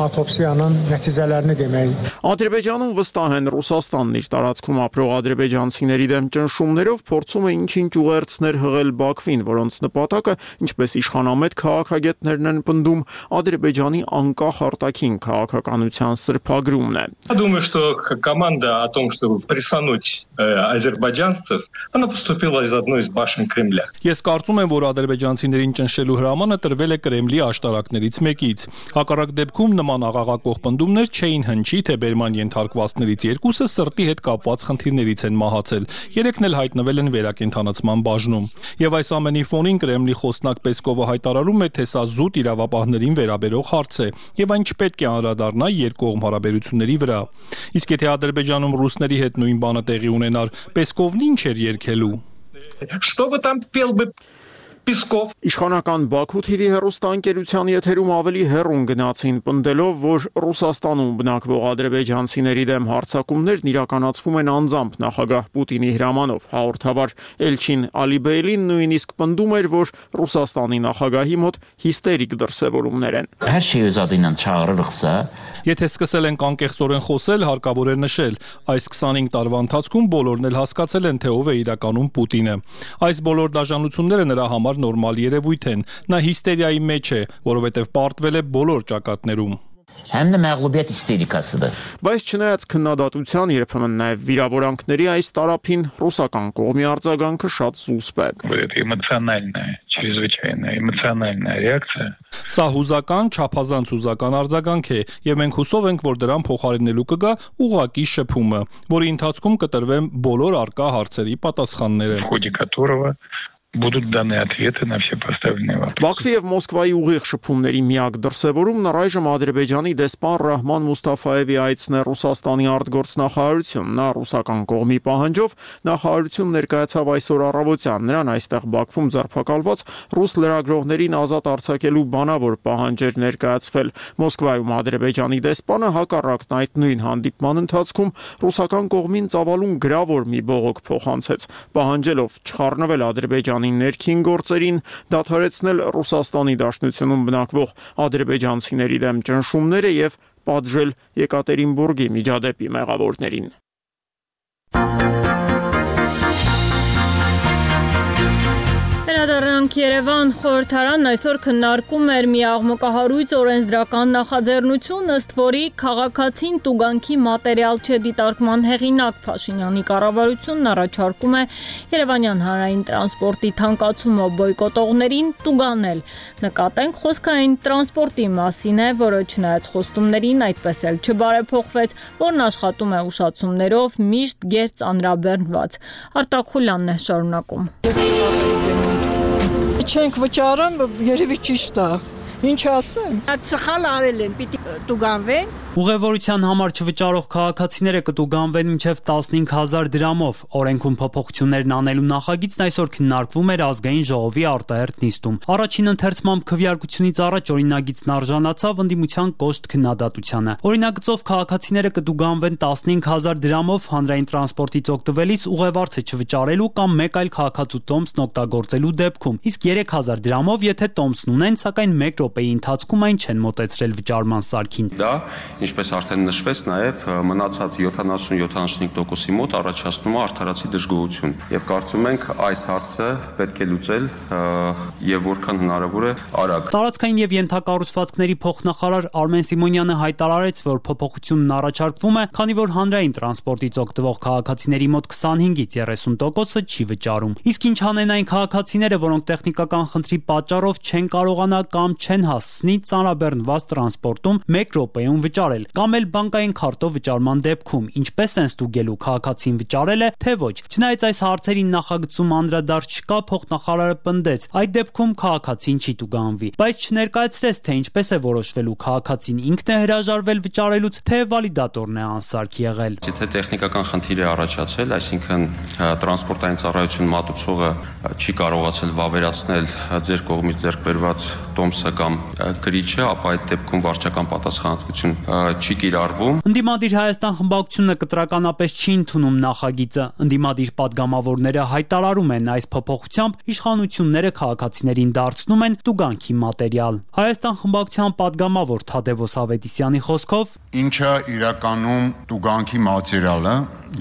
autopsiyanın nəticələrini demək։ Ադրբեջանում վստահ են Ռուսաստանն իր տարածքում ապրող ադրբեջանցիների դեմ ճնշումներով փորձում է ինչ-ինչ ուղերձներ հղել Բաքվին, որոնց նպատակը, ինչպես իշխանամետ քաղաքագետներն են պնդում, Ադրբեջանի անկախ արտաքին քաղաքականության սրբագրումն է։ Думаю, что команда о том, чтобы прессануть азербайджанцев, она поступила из одной из башен Кремля. Ես կարծում եմ, որ ադրբեջանցիներին ճնշելու հրամանը տրվել է Կրեմլի աշտարակներից մեկից։ Հակառակ դեպքում նման աղաղակող պնդումներ չէին հնչի, թե բերման ենթարկվածներից երկուսը սրտի հետ կապված խնդիրներից են մահացել։ Երեքն էլ հայտնվել են վերակենդանացման բաժնում։ Եվ այս ամենի ֆոնին Կրեմլի խոսնակ Պեսկովը հայտարարում է, թե սա զուտ իրավապահներին վերաբերող հարց է, եւ այն չպետք է անդրադառնա երկկողմ հարաբերությունների վրա։ Իսկ եթե Ադրբեջանում ռուսների հետ նույն բանը տեղի ունենար, Պեսկովն ինչ էր երգելու։ Что бы там пел бы Песков։ Իշխանական Բաքու TV հեռուստաընկերության եթերում ավելի հեռուն գնացին, պնդելով, որ Ռուսաստանում բնակվող ադրբեջանցիների դեմ հարձակումներն իրականացվում են անձամբ նախագահ Պուտինի հրամանով։ Հաղորդավար Էլչին Ալիբեյլին նույնիսկ պնդում էր, որ Ռուսաստանի նախագահի մոտ հիստերիկ դրսևորումներ են։ Եթե սկսել ենք անկեղծորեն խոսել, հարկավոր է նշել, այս 25 տարվա ընթացքում բոլորն էլ հասկացել են, թե ով է իրականում Պուտինը։ Այս բոլոր դաժանությունները նրա համար նորմալ երևույթ են։ Նա հիստերիայի մեջ է, որովհետև պարտվել է բոլոր ճակատներում։ Բայց չնայած քննադատության, երբեմն նաև վիրավորանքների այս տարափին ռուսական կողմի արձագանքը շատ զուսպ է։ Սա հուզական, չափազանց հուզական արձագանք է, եւ մենք հուսով ենք, որ դրան փոխարինելու կգա ուղղակի շփումը, որի ընթացքում կտրվեն բոլոր արկա հարցերի պատասխանները։ Будут даны ответы на все поставленные вопросы. Բաքվի եւ Մոսկվայի ուղիղ շփումների միակ դրսևորումն առայժմ Ադրբեջանի դեսպան Ռահման Մուստաֆայևի այցն է Ռուսաստանի արտգործնախարարություն։ Նա ռուսական կողմի պահանջով նախարարություն ներկայացավ այսօր առավոտյան։ Նրան այստեղ Բաքվում ձերբակալված ռուս լրագրողներին ազատ արձակելու բանավոր պահանջ էր ներկայացվել։ Մոսկվայում Ադրբեջանի դեսպանը հակառակն այդ նույն հանդիպման ընթացքում ռուսական կողմին ծավալուն գրավոր մի բողոք փոխանցեց, պահանջելով չխառնվել Ադրբեջանի ներքին գործերին, դադարեցնել Ռուսաստանի Դաշնությունում բնակվող ադրբեջանցիների դեմ ճնշումները եւ պատժել Եկատերինբուրգի միջադեպի մեղավորներին։ Վերադառնանք Երևան, խորհրդարանն այսօր քննարկում էր մի աղմկահարույց օրենսդրական նախաձեռնություն, ըստ որի քաղաքացին տուգանքի մատերիալ չդիտարկման հեղինակ Փաշինյանի կառավարությունն առաջարկում է Երևանյան հանրային տրանսպորտի թանկացումը բոյկոտողներին տուգանել։ Նկատենք, խոսքը այն տրանսպորտի մասին է, որը չնայած խոստումներին այդպես էլ չբարեփոխվեց, որն աշխատում է ուշացումներով, միշտ գերծ անրաբեռնված։ Արտակ Խուլյանն է շարունակում։ Չենք վճարում, երևի ճիշտ է։ Ինչ ասեմ։ Սխալ արել են, պիտի տուգանվեն։ Ուղևորության համար չվճարող քաղաքացիները կտուգանվեն մինչև 15000 դրամով։ Օրենքում փոփոխություններն անելու նախագիծն այսօր քննարկվում էր ազգային ժողովի արտահերթ նիստում։ Առաջին ընթերցմամբ քվեարկությունից առաջ օրինագիծն արժանացավ ընդդիմության կոշտ քննադատությանը։ Օրինագծով քաղաքացիները կտուգանվեն 15000 դրամով հանրային տրանսպորտից օգտվելիս ուղևորցը չվճարելու կամ մեկ այլ քաղաքացու տոմսն օգտագործելու դեպքում, իսկ 3000 դրամով, եթե տոմսն ունեն, սակայն 1 րոպեի ընթացքում այն չեն մոտեցրել վճարման սարքին։ Դա, ինչպես արդեն նշվեց, նաև մնացած 70-75%-ի մոտ առաջացնում է արդարացի դժգոհություն։ Եվ կարծում ենք այս հարցը պետք է լուծել եւ որքան հնարավոր է արագ։ Տարածքային եւ ենթակառուցվածքների փոխնախարար Արմեն Սիմոնյանը հայտարարեց, որ փոփոխությունն առաջարկվում է, քանի որ հանրային տրանսպորտից օգտվող քաղաքացիների մոտ 25-ից 30%-ը չի վճարում։ Իսկ ինչ անեն այն քաղաքացիները, որոնք տեխնիկական խնդրի պատճառով չեն կարողանա կամ չեն հասցնի ծանրաբեռնված տրանսպորտում 1 րոպեում վճարել, կամ էլ բանկային քարտով վճարման դեպքում, ինչպես են ստուգելու քաղաքացին վճարել է, թե ոչ։ Չնայած այս հարցերին նախագծում անդրադարձ չկա, փոխնախարարը պնդեց, այդ դեպքում քաղաքացին չի տուգանվի, բայց չներկայացրեց, թե ինչպես է որոշվելու քաղաքացին ինքն է հրաժարվել վճարելուց, թե վալիդատորն է անսարք եղել։ Եթե տեխնիկական խնդիր է առաջացել, այսինքն տրանսպորտային ծառայություն մատուցողը չի կարողացել վավերացնել ձեր կողմից ձեռք բերված տոմսը կամ գրիչը, ապա այդ դեպքում վարչական պատասխանատվություն չի կիրառվում։ Ընդդիմադիր Հայաստան խմբակցությունը կտրականապես չի ընդունում նախագիծը։ Ընդդիմադիր պատգամավորները հայտարարում են, այս փոփոխությամբ իշխանությունները քաղաքացիներին դարձնում են տուգանքի մատերիալ։ Հայաստան խմբակցության պատգամավոր Թադևոս Ավետիսյանի խոսքով, ինչը իրականում տուգանքի մատերիալը,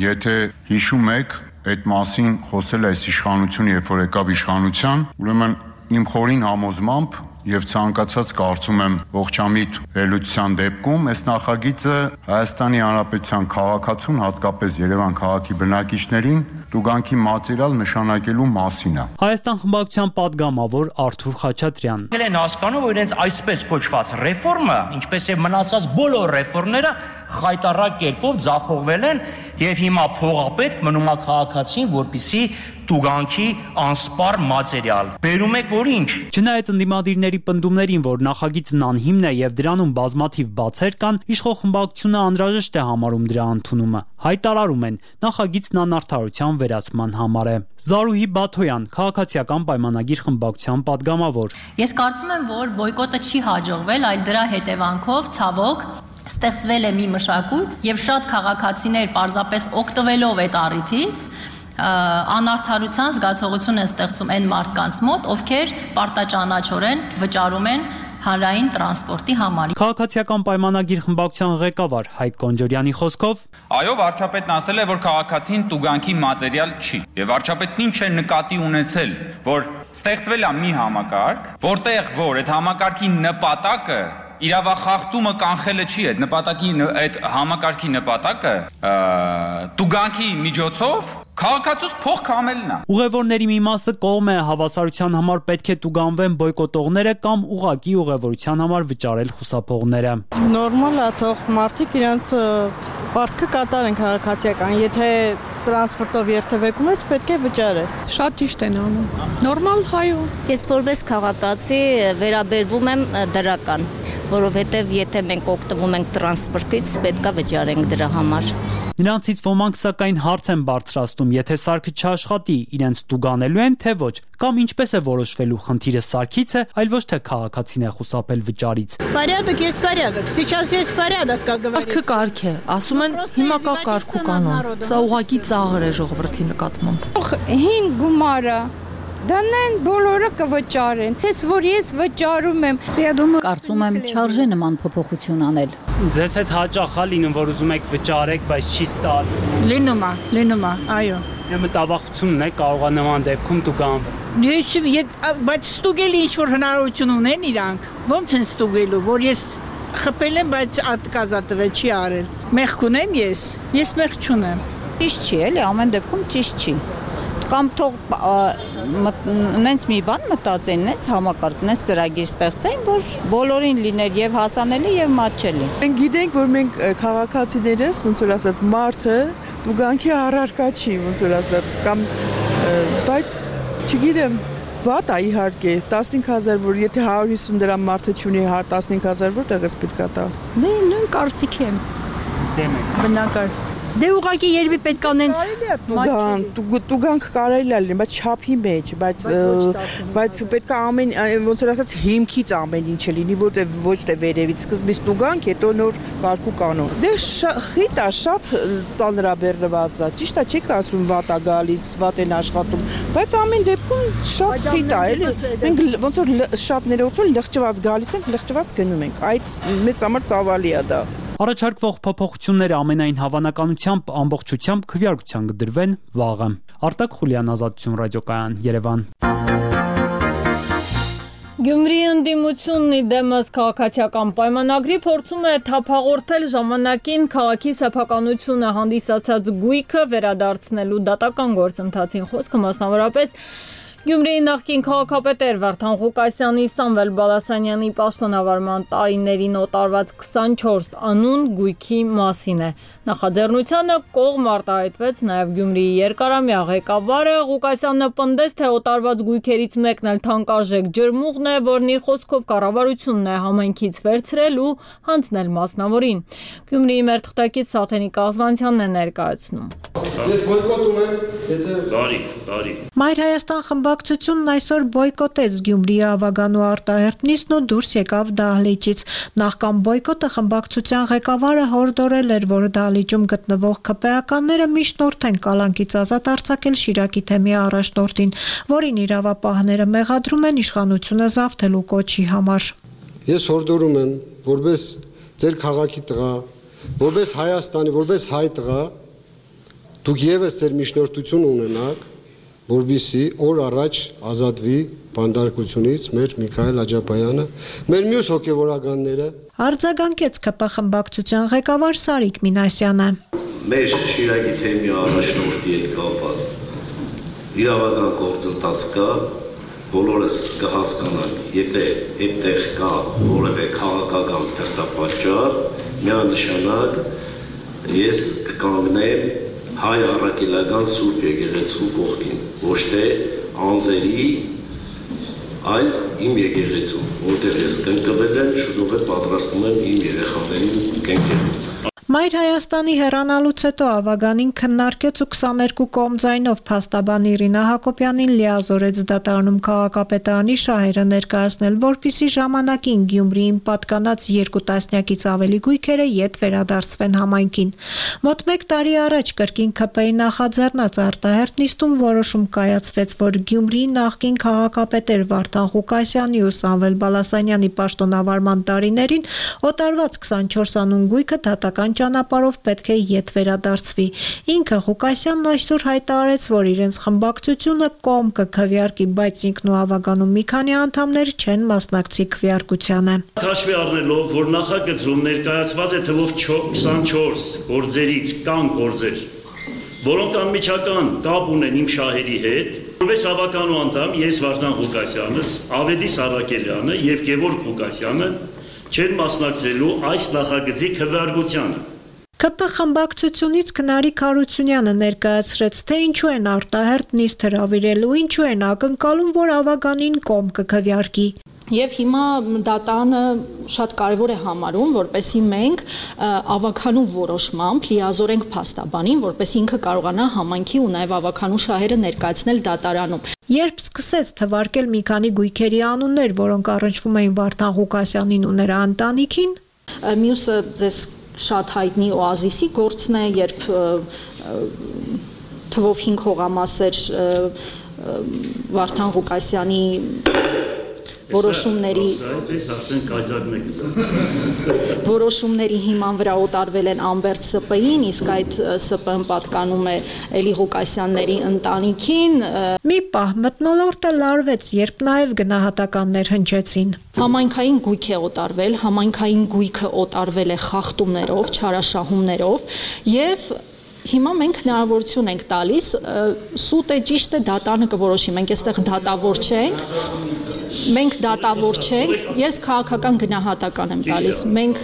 եթե հիշում եք, այդ մասին խոսել է այս իշխանությունը, երբ որ եկավ իշխանության, ուրեմն իմ խորին համոզմամբ եւ ցանկացած կարծում եմ ողջամիտ վերլուծության դեպքում այս նախագիծը Հայաստանի Հանրապետության քաղաքացուն, հատկապես Երևան քաղաքի բնակիչներին տուգանքի մատերիալ նշանակելու մասին է։ Հայաստան խմբակցության պատգամավոր Արթուր Խաչատրյան։ Ել են հասկանում, որ իրենց այսպես կոչված ռեֆորմը, ինչպես է մնացած բոլոր ռեֆորմները խայտառակ կերպով ձախողվել են եւ հիմա փողապետք մնում է քաղաքացին, որպիսի տուգանքի անսպառ մատերիալ։ Բերում եք որ ինչ։ Չնայած ընդդիմադիրների պնդումներին, որ նախագիծն անհիմն է եւ դրանում բազմաթիվ բացեր կան, իշխող խմբակցությունը անհրաժեշտ է համարում դրա ընդունումը։ Հայտարարում են, նախագիծն անարդարության վերացման համար է։ Զարուհի Բաթոյան, քաղաքացիական պայմանագիր խմբակցության պատգամավոր։ Ես կարծում եմ, որ բոյկոտը չի հաջողվել, այլ դրա հետևանքով ցավոք ստեղծվել է մի մշակույթ եւ շատ քաղաքացիներ պարզապես օգտվելով այդ առիթից անարդարության զգացողություն են ստեղծում այն մարդկանց մոտ, ովքեր պարտաճանաչորեն վճարում են հանրային տրանսպորտի համար։ Քաղաքացիական պայմանագիր խմբակցության ղեկավար Հայկ Կոնջորյանի խոսքով, այո, վարչապետն ասել է, որ քաղաքացին տուգանքի մատերիալ չի, եւ վարչապետն ինչ է նկատի ունեցել, որ ստեղծվել է մի համակարգ, որտեղ որ այդ համակարգի նպատակը իրավախախտումը կանխելը չի, այդ համակարգի նպատակը տուգանքի միջոցով քաղաքացուց փող կամելն է։ Ուղևորների մի մասը կողմ է հավասարության համար պետք է տուգանվեն բոյկոտողները կամ ուղղակի ուղևորության համար վճարել խուսափողները։ Նորմալ է, թող մարդիկ իրենց պարտքը կատարեն քաղաքացիական, եթե տրանսպորտով երթևեկում ես, պետք է վճարես։ Շատ ճիշտ են անում։ Նորմալ հայո։ Ես որպես քաղաքացի վերաբերվում եմ դրական, որովհետև եթե մենք օգտվում ենք տրանսպորտից, պետք է վճարենք դրա համար։ Նրանցից ոմանք սակայն հարց են բարձրացնում, եթե սարքը չաշխատի, իրենց տուգանելու են, թե ոչ, կամ ինչպես է որոշվելու խնդիրը սարքից է, այլ ոչ թե քաղաքացին է խուսափել վճարից։ Порядок есть порядок. Сейчас есть порядок, как говорится։ Կարգը կարգ է, ասում են հիմա կա կարգ ու կանոն։ Սա ուղղակի ծաղր է ժողովրդի նկատմամբ։ Հին գումարը դանեն բոլորը կվճարեն։ Հենց որ ես վճարում եմ։ Կարծում եմ չարժե նման փոփոխություն անել։ Ձեզ հետ հաճախ է լինում, որ ուզում եք վճարեք, բայց չի ստացվում։ Լինում է, այո։ Մտավախությունն է, կարող է նման դեպքում տուգանվել։ Բայց ստուգելի ինչ որ հնարավորություն ունեն իրանք։ Ոնց են ստուգելու, որ ես խփել եմ, բայց ատկազատվել չի արել։ Մեղք ունեմ ես մեղք չունեմ։ Ճիշտ չի, էլի, ամեն դեպքում ճիշտ չի։ Կամ թող նենց մի բան մտածեն, նենց համակարգ, նենց ծրագիր ստեղծեն, որ բոլորին լիներ եւ հասանելի եւ մատչելի։ Մենք գիտենք, որ մենք քաղաքացիներս, ոնց որ ասած, մարդը տուգանքի առարկա չի, ոնց որ ասած, կամ բայց չգիտեմ, վատ է իհարկե 15000, որ եթե 150 դրամ մարդը չունի 15000 որտեղից պետք է տա։ Նույն կարծիքի եմ։ Դեմ եք։ Բնական։ Դե ուղղակի երևի պետք է նենց տուգանք կարելի է լինի, բայց չափի մեջ, բայց պետք է ամեն ոնց որ ասած հիմքից ամեն ինչը լինի, որտեղ ոչ թե վերևից սկզբից տուգանք, հետո նոր կարգու կանոն։ Դե խիտ է, շատ ծանրաբեռնված է։ Ճիշտ է, չեք ասում վատ է գալիս, վատ են աշխատում, բայց ամեն դեպքում շատ խիտ է, էլի։ Մենք ոնց որ շատ ներողություն լղճված գալիս ենք, լղճված գնում ենք։ Այդ մեզ համար ծավալի է դա։ Առաջարկվող փոփոխությունները ամենայն հավանականությամբ ամբողջությամբ քվեարկության կդրվեն վաղը։ Արտակ Խուլյան, Ազատություն ռադիոկայան, Երևան։ Գյումրիի ընդդիմությունն դեմս քաղաքացիական պայմանագրի փորձում է թափաղորդել ժամանակին քաղաքի սեփականությունը հանդիսացած գույքը վերադարձնելու դատական գործընթացին խոսքը մասնավորապես Գյումրիի նախկին քաղաքապետեր Վարդան Ղուկասյանի, Սամվել Բալասանյանի պաշտոնավարման տարիներին օտարված 24 անուն գույքի մասին է։ Նախաձեռնությանը կողմ արտահայտվեց նաև Գյումրիի երկարամյա ղեկավարը Ղուկասյանը պնդեց, թե օտարված գույքերից մեկն էլ թանկարժեք ջրմուղն է, որն իր խոսքով կառավարությունն է համայնքից վերցրել ու հանձնել մասնավորին։ Գյումրիի մեր թղթակից Սաթենիկ Աղզվանցյանն է ներկայացնում։ Ես բոյկոտում եմ, բարի։ Մայր Հայաստան խմբակցությունն այսօր բոյկոտեց Գյումրիի Ավագանու արտահերթ նիստն ու դուրս եկավ դահլիճից։ Նախքան բոյկոտը խմբակցության ղեկավարը հորդորել էր, որ դահլիճում գտնվող ԿՊԱ-ականները միջնորդեն կալանքից ազատ արձակել Շիրակի թեմի առաջնորդին, որին իրավապահները մեղադրում են իշխանությունը զավթելու կոչի համար։ Ես հորդորում եմ, որպես ձեր քաղաքի տղա, որպես Հայաստանի, որպես հայ տղա, դուք եւս ձեր միջնորդություն ունենաք, որպեսզի օր առաջ ազատվի բանդարկությունից մեր Միքայել Աջապայանը, մեր մյուս հոգևորականները։ Արձագանքեց ԿՊ խմբակցության ղեկավար Սարիկ Մինասյանը։ Մեր Շիրակի թեմի առաջնորդի հետ կապված իրավական գործընթաց կա, բոլորս կհասկանանք, եթե այդտեղ կա որևէ քաղաքական թերթապատճառ, միանշանակ ես կկանգնեմ հայ առաքելական Սուրբ եկեղեցու կողքին, ոչ թե անձերի, այլ իմ եկեղեցու, որտեղ ես կնկվել եմ, շուտով պատրաստում եմ իմ երեխաներին կենքել։ Մայր Հայաստանի հեռանալուց հետո Ավագանին քննարկեց ու 22 կողմ ձայնով փաստաբան Իրինա Հակոբյանին լիազորեց դատարանում քաղաքապետարանի շահերը ներկայացնել, որպիսի ժամանակին Գյումրիին պատկանած 2 տասնյակից ավելի գույքերը ետ վերադարձվեն համայնքին։ Մոտ 1 տարի առաջ կրկին ԿՊ-ի նախաձեռնած արտահերթ նիստում որոշում կայացվեց, որ Գյումրիի նախկին քաղաքապետեր Վարդան Ղուկասյանի ու Սամվել Բալասանյանի պաշտոնավարման տարիներին օտարված 24 անուն գույքը դատական ճանապարհով պետք է ետ վերադարձվի։ Ինքը Ղուկասյանն այսօր հայտարարեց, որ իրենց խմբակցությունը կողմ կքվեարկի, բայց ինքն ու Ավագանու մի քանի անդամներ չեն մասնակցի քվեարկությանը։ Հաշվի առնելով, որ նախագծում ներկայացված է թվով 24 գործերից կան գործեր, որոնք անմիջական կապ ունեն իմ շահերի հետ, որպես Ավագանու անդամ ես Վարդան Ղուկասյանս, Ավետիս Արաքելյանը եւ Գևորգ Ղուկասյանը չեն մասնակցելու այս նախագծի քվեարկությանը։ ԿՊ խմբակցությունից Քնարիկ Հարությունյանը ներկայացրեց, թե ինչու են արտահերթ նիստ հրավիրել ու ինչու են ակնկալում, որ Ավագանին կողմ կքվեարկի։ Եվ հիմա դատանը շատ կարևոր է համարում, որպեսզի մենք Ավագանու որոշմամբ լիազորենք փաստաբանին, որպեսզի ինքը կարողանա համայնքի ու նաև Ավագանու շահերը ներկայացնել դատարանում։ Երբ սկսեց թվարկել մի քանի գույքերի անուններ, որոնք առնչվում էին Վարդան Ղուկասյանին ու նրա ընտանիքին, մյուսը ձեզ շատ հայտնի Օազիսի գործն է, երբ թվով 5 հողամասեր Վարդան Ղուկասյանի որոշումների հիման վրա օտարվել են Ամբերտ ՍՊ-ին, իսկ այդ ՍՊ-ն պատկանում է Էլի Ղուկասյանների ընտանիքին։ Մի պահ մթնոլորտը լարվեց, երբ նաև գնահատականներ հնչեցին։ Համայնքային գույք է օտարվել, համայնքային գույքը օտարվել է խախտումներով, չարաշահումներով եւ հիմա մենք հնարավորություն ենք տալիս, սուտ է, ճիշտ է, դատանը կորոշի, մենք այստեղ դատավոր չենք, ես քաղաքական գնահատական եմ տալիս, մենք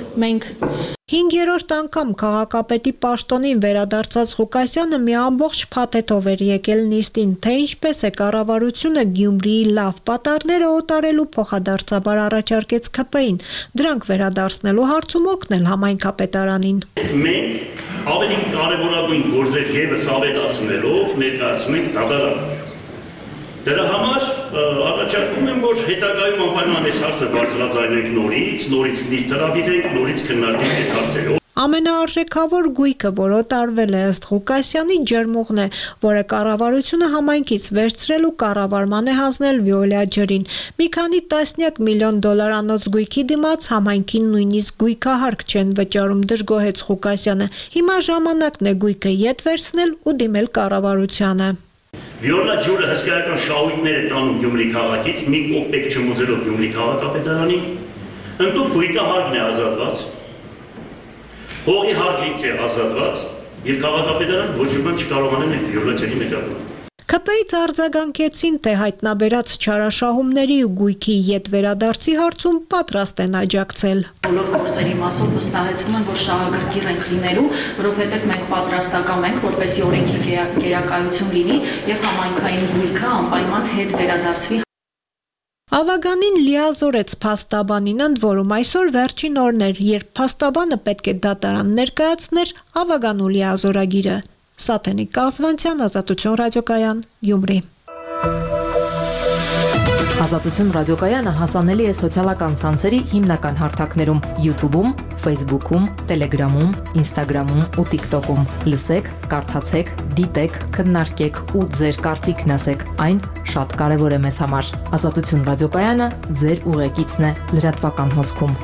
5-րդ անգամ քաղաքապետի պաշտոնին վերադարձած Ղուկասյանը մի ամբողջ փաթեթով էր եկել նիստին, թե ինչպես է կառավարությունը Գյումրիի լավ պատառները օտարելու փոխադարձաբար առաջարկեց ԿՊ-ին, դրանք վերադարձնելու հարցում օգնել համայնքապետարանին։ Մենք ավելի կարևորագույն գործեր եւս ավելացնելով ներկայացնենք դատարան։ Դրա համար առաջարկում եմ, որ հետագայում անպայման այս հարցը բարձրաձայնենք նորից նիստ հրավիրենք, նորից քննարկենք այդ հարցերը։ Ամենաարժեքավոր գույքը, որ օտարվել է ըստ Ղուկասյանի, ջերմուղն է, որը կառավարությունը համայնքից վերցրել ու կառավարման է հանձնել Վիոլա ջրին։ Մի քանի տասնյակ միլիոն դոլարանոց գույքի դիմաց համայնքին նույնիսկ գույքահարկ չեն վճարում, դժգոհեց Ղուկասյանը։ Հիմա ժամանակն է գույքը ետ վերցնել ու դիմել կառավարությանը։ Վիոլա ջուրը հսկայական շահույթներ է տանում Գյումրի քաղաքից, մի կոպեկ չմուծելով Գյումրի քաղաքապետարանին, ընդդուք գույքահարկն է ազատված, հողի հարկից է ազատված եւ քաղաքապետարան ոչ մի բան չկարողանեն այդ Վիոլա ջրի մեկապան։ ԿՊ-ից արձագանքեցին, թե հայտնաբերած չարաշահումների ու գույքի ետ վերադարձի հարցում պատրաստ են աջակցել։ Բոլոր գործերի մասով վստահեցում եմ, որ շահագրգիռ ենք լինելու, որովհետև մենք պատրաստական ենք, որպեսզի օրենքի գերակայություն լինի եւ համայնքային գույքը անպայման հետ վերադարձվի։ Ավագանին լիազորեց փաստաբանին, ընդ որում այսօր վերջին օրն էր, երբ փաստաբանը պետք է դատարան ներկայացներ Ավագանու լիազորագիրը։ Սաթենիկ Կազվանցյան, Ազատություն ռադիոկայան, Գյումրի։ Ազատություն ռադիոկայանը հասանելի է սոցիալական ցանցերի հիմնական հարթակներում՝ YouTube-ում, Facebook-ում, Telegram-ում, Instagram-ում ու TikTok-ում։ Լսեք, կարդացեք, դիտեք, քննարկեք ու ձեր կարծիքն ասեք։ Այն շատ կարևոր է մեզ համար։ Ազատություն ռադիոկայանը ձեր ուղեկիցն է լրատվական հոսքում։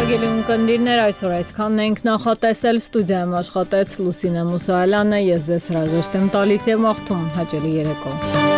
Հարգելի ունկնդիրներ, այսօր այսքանն ենք նախատեսել, ստուդիայում աշխատեց Լուսինե Մուսայելյանը, ես ձեզ հրաժեշտ եմ տալիս եւ մաղթում հաճելի երեկո։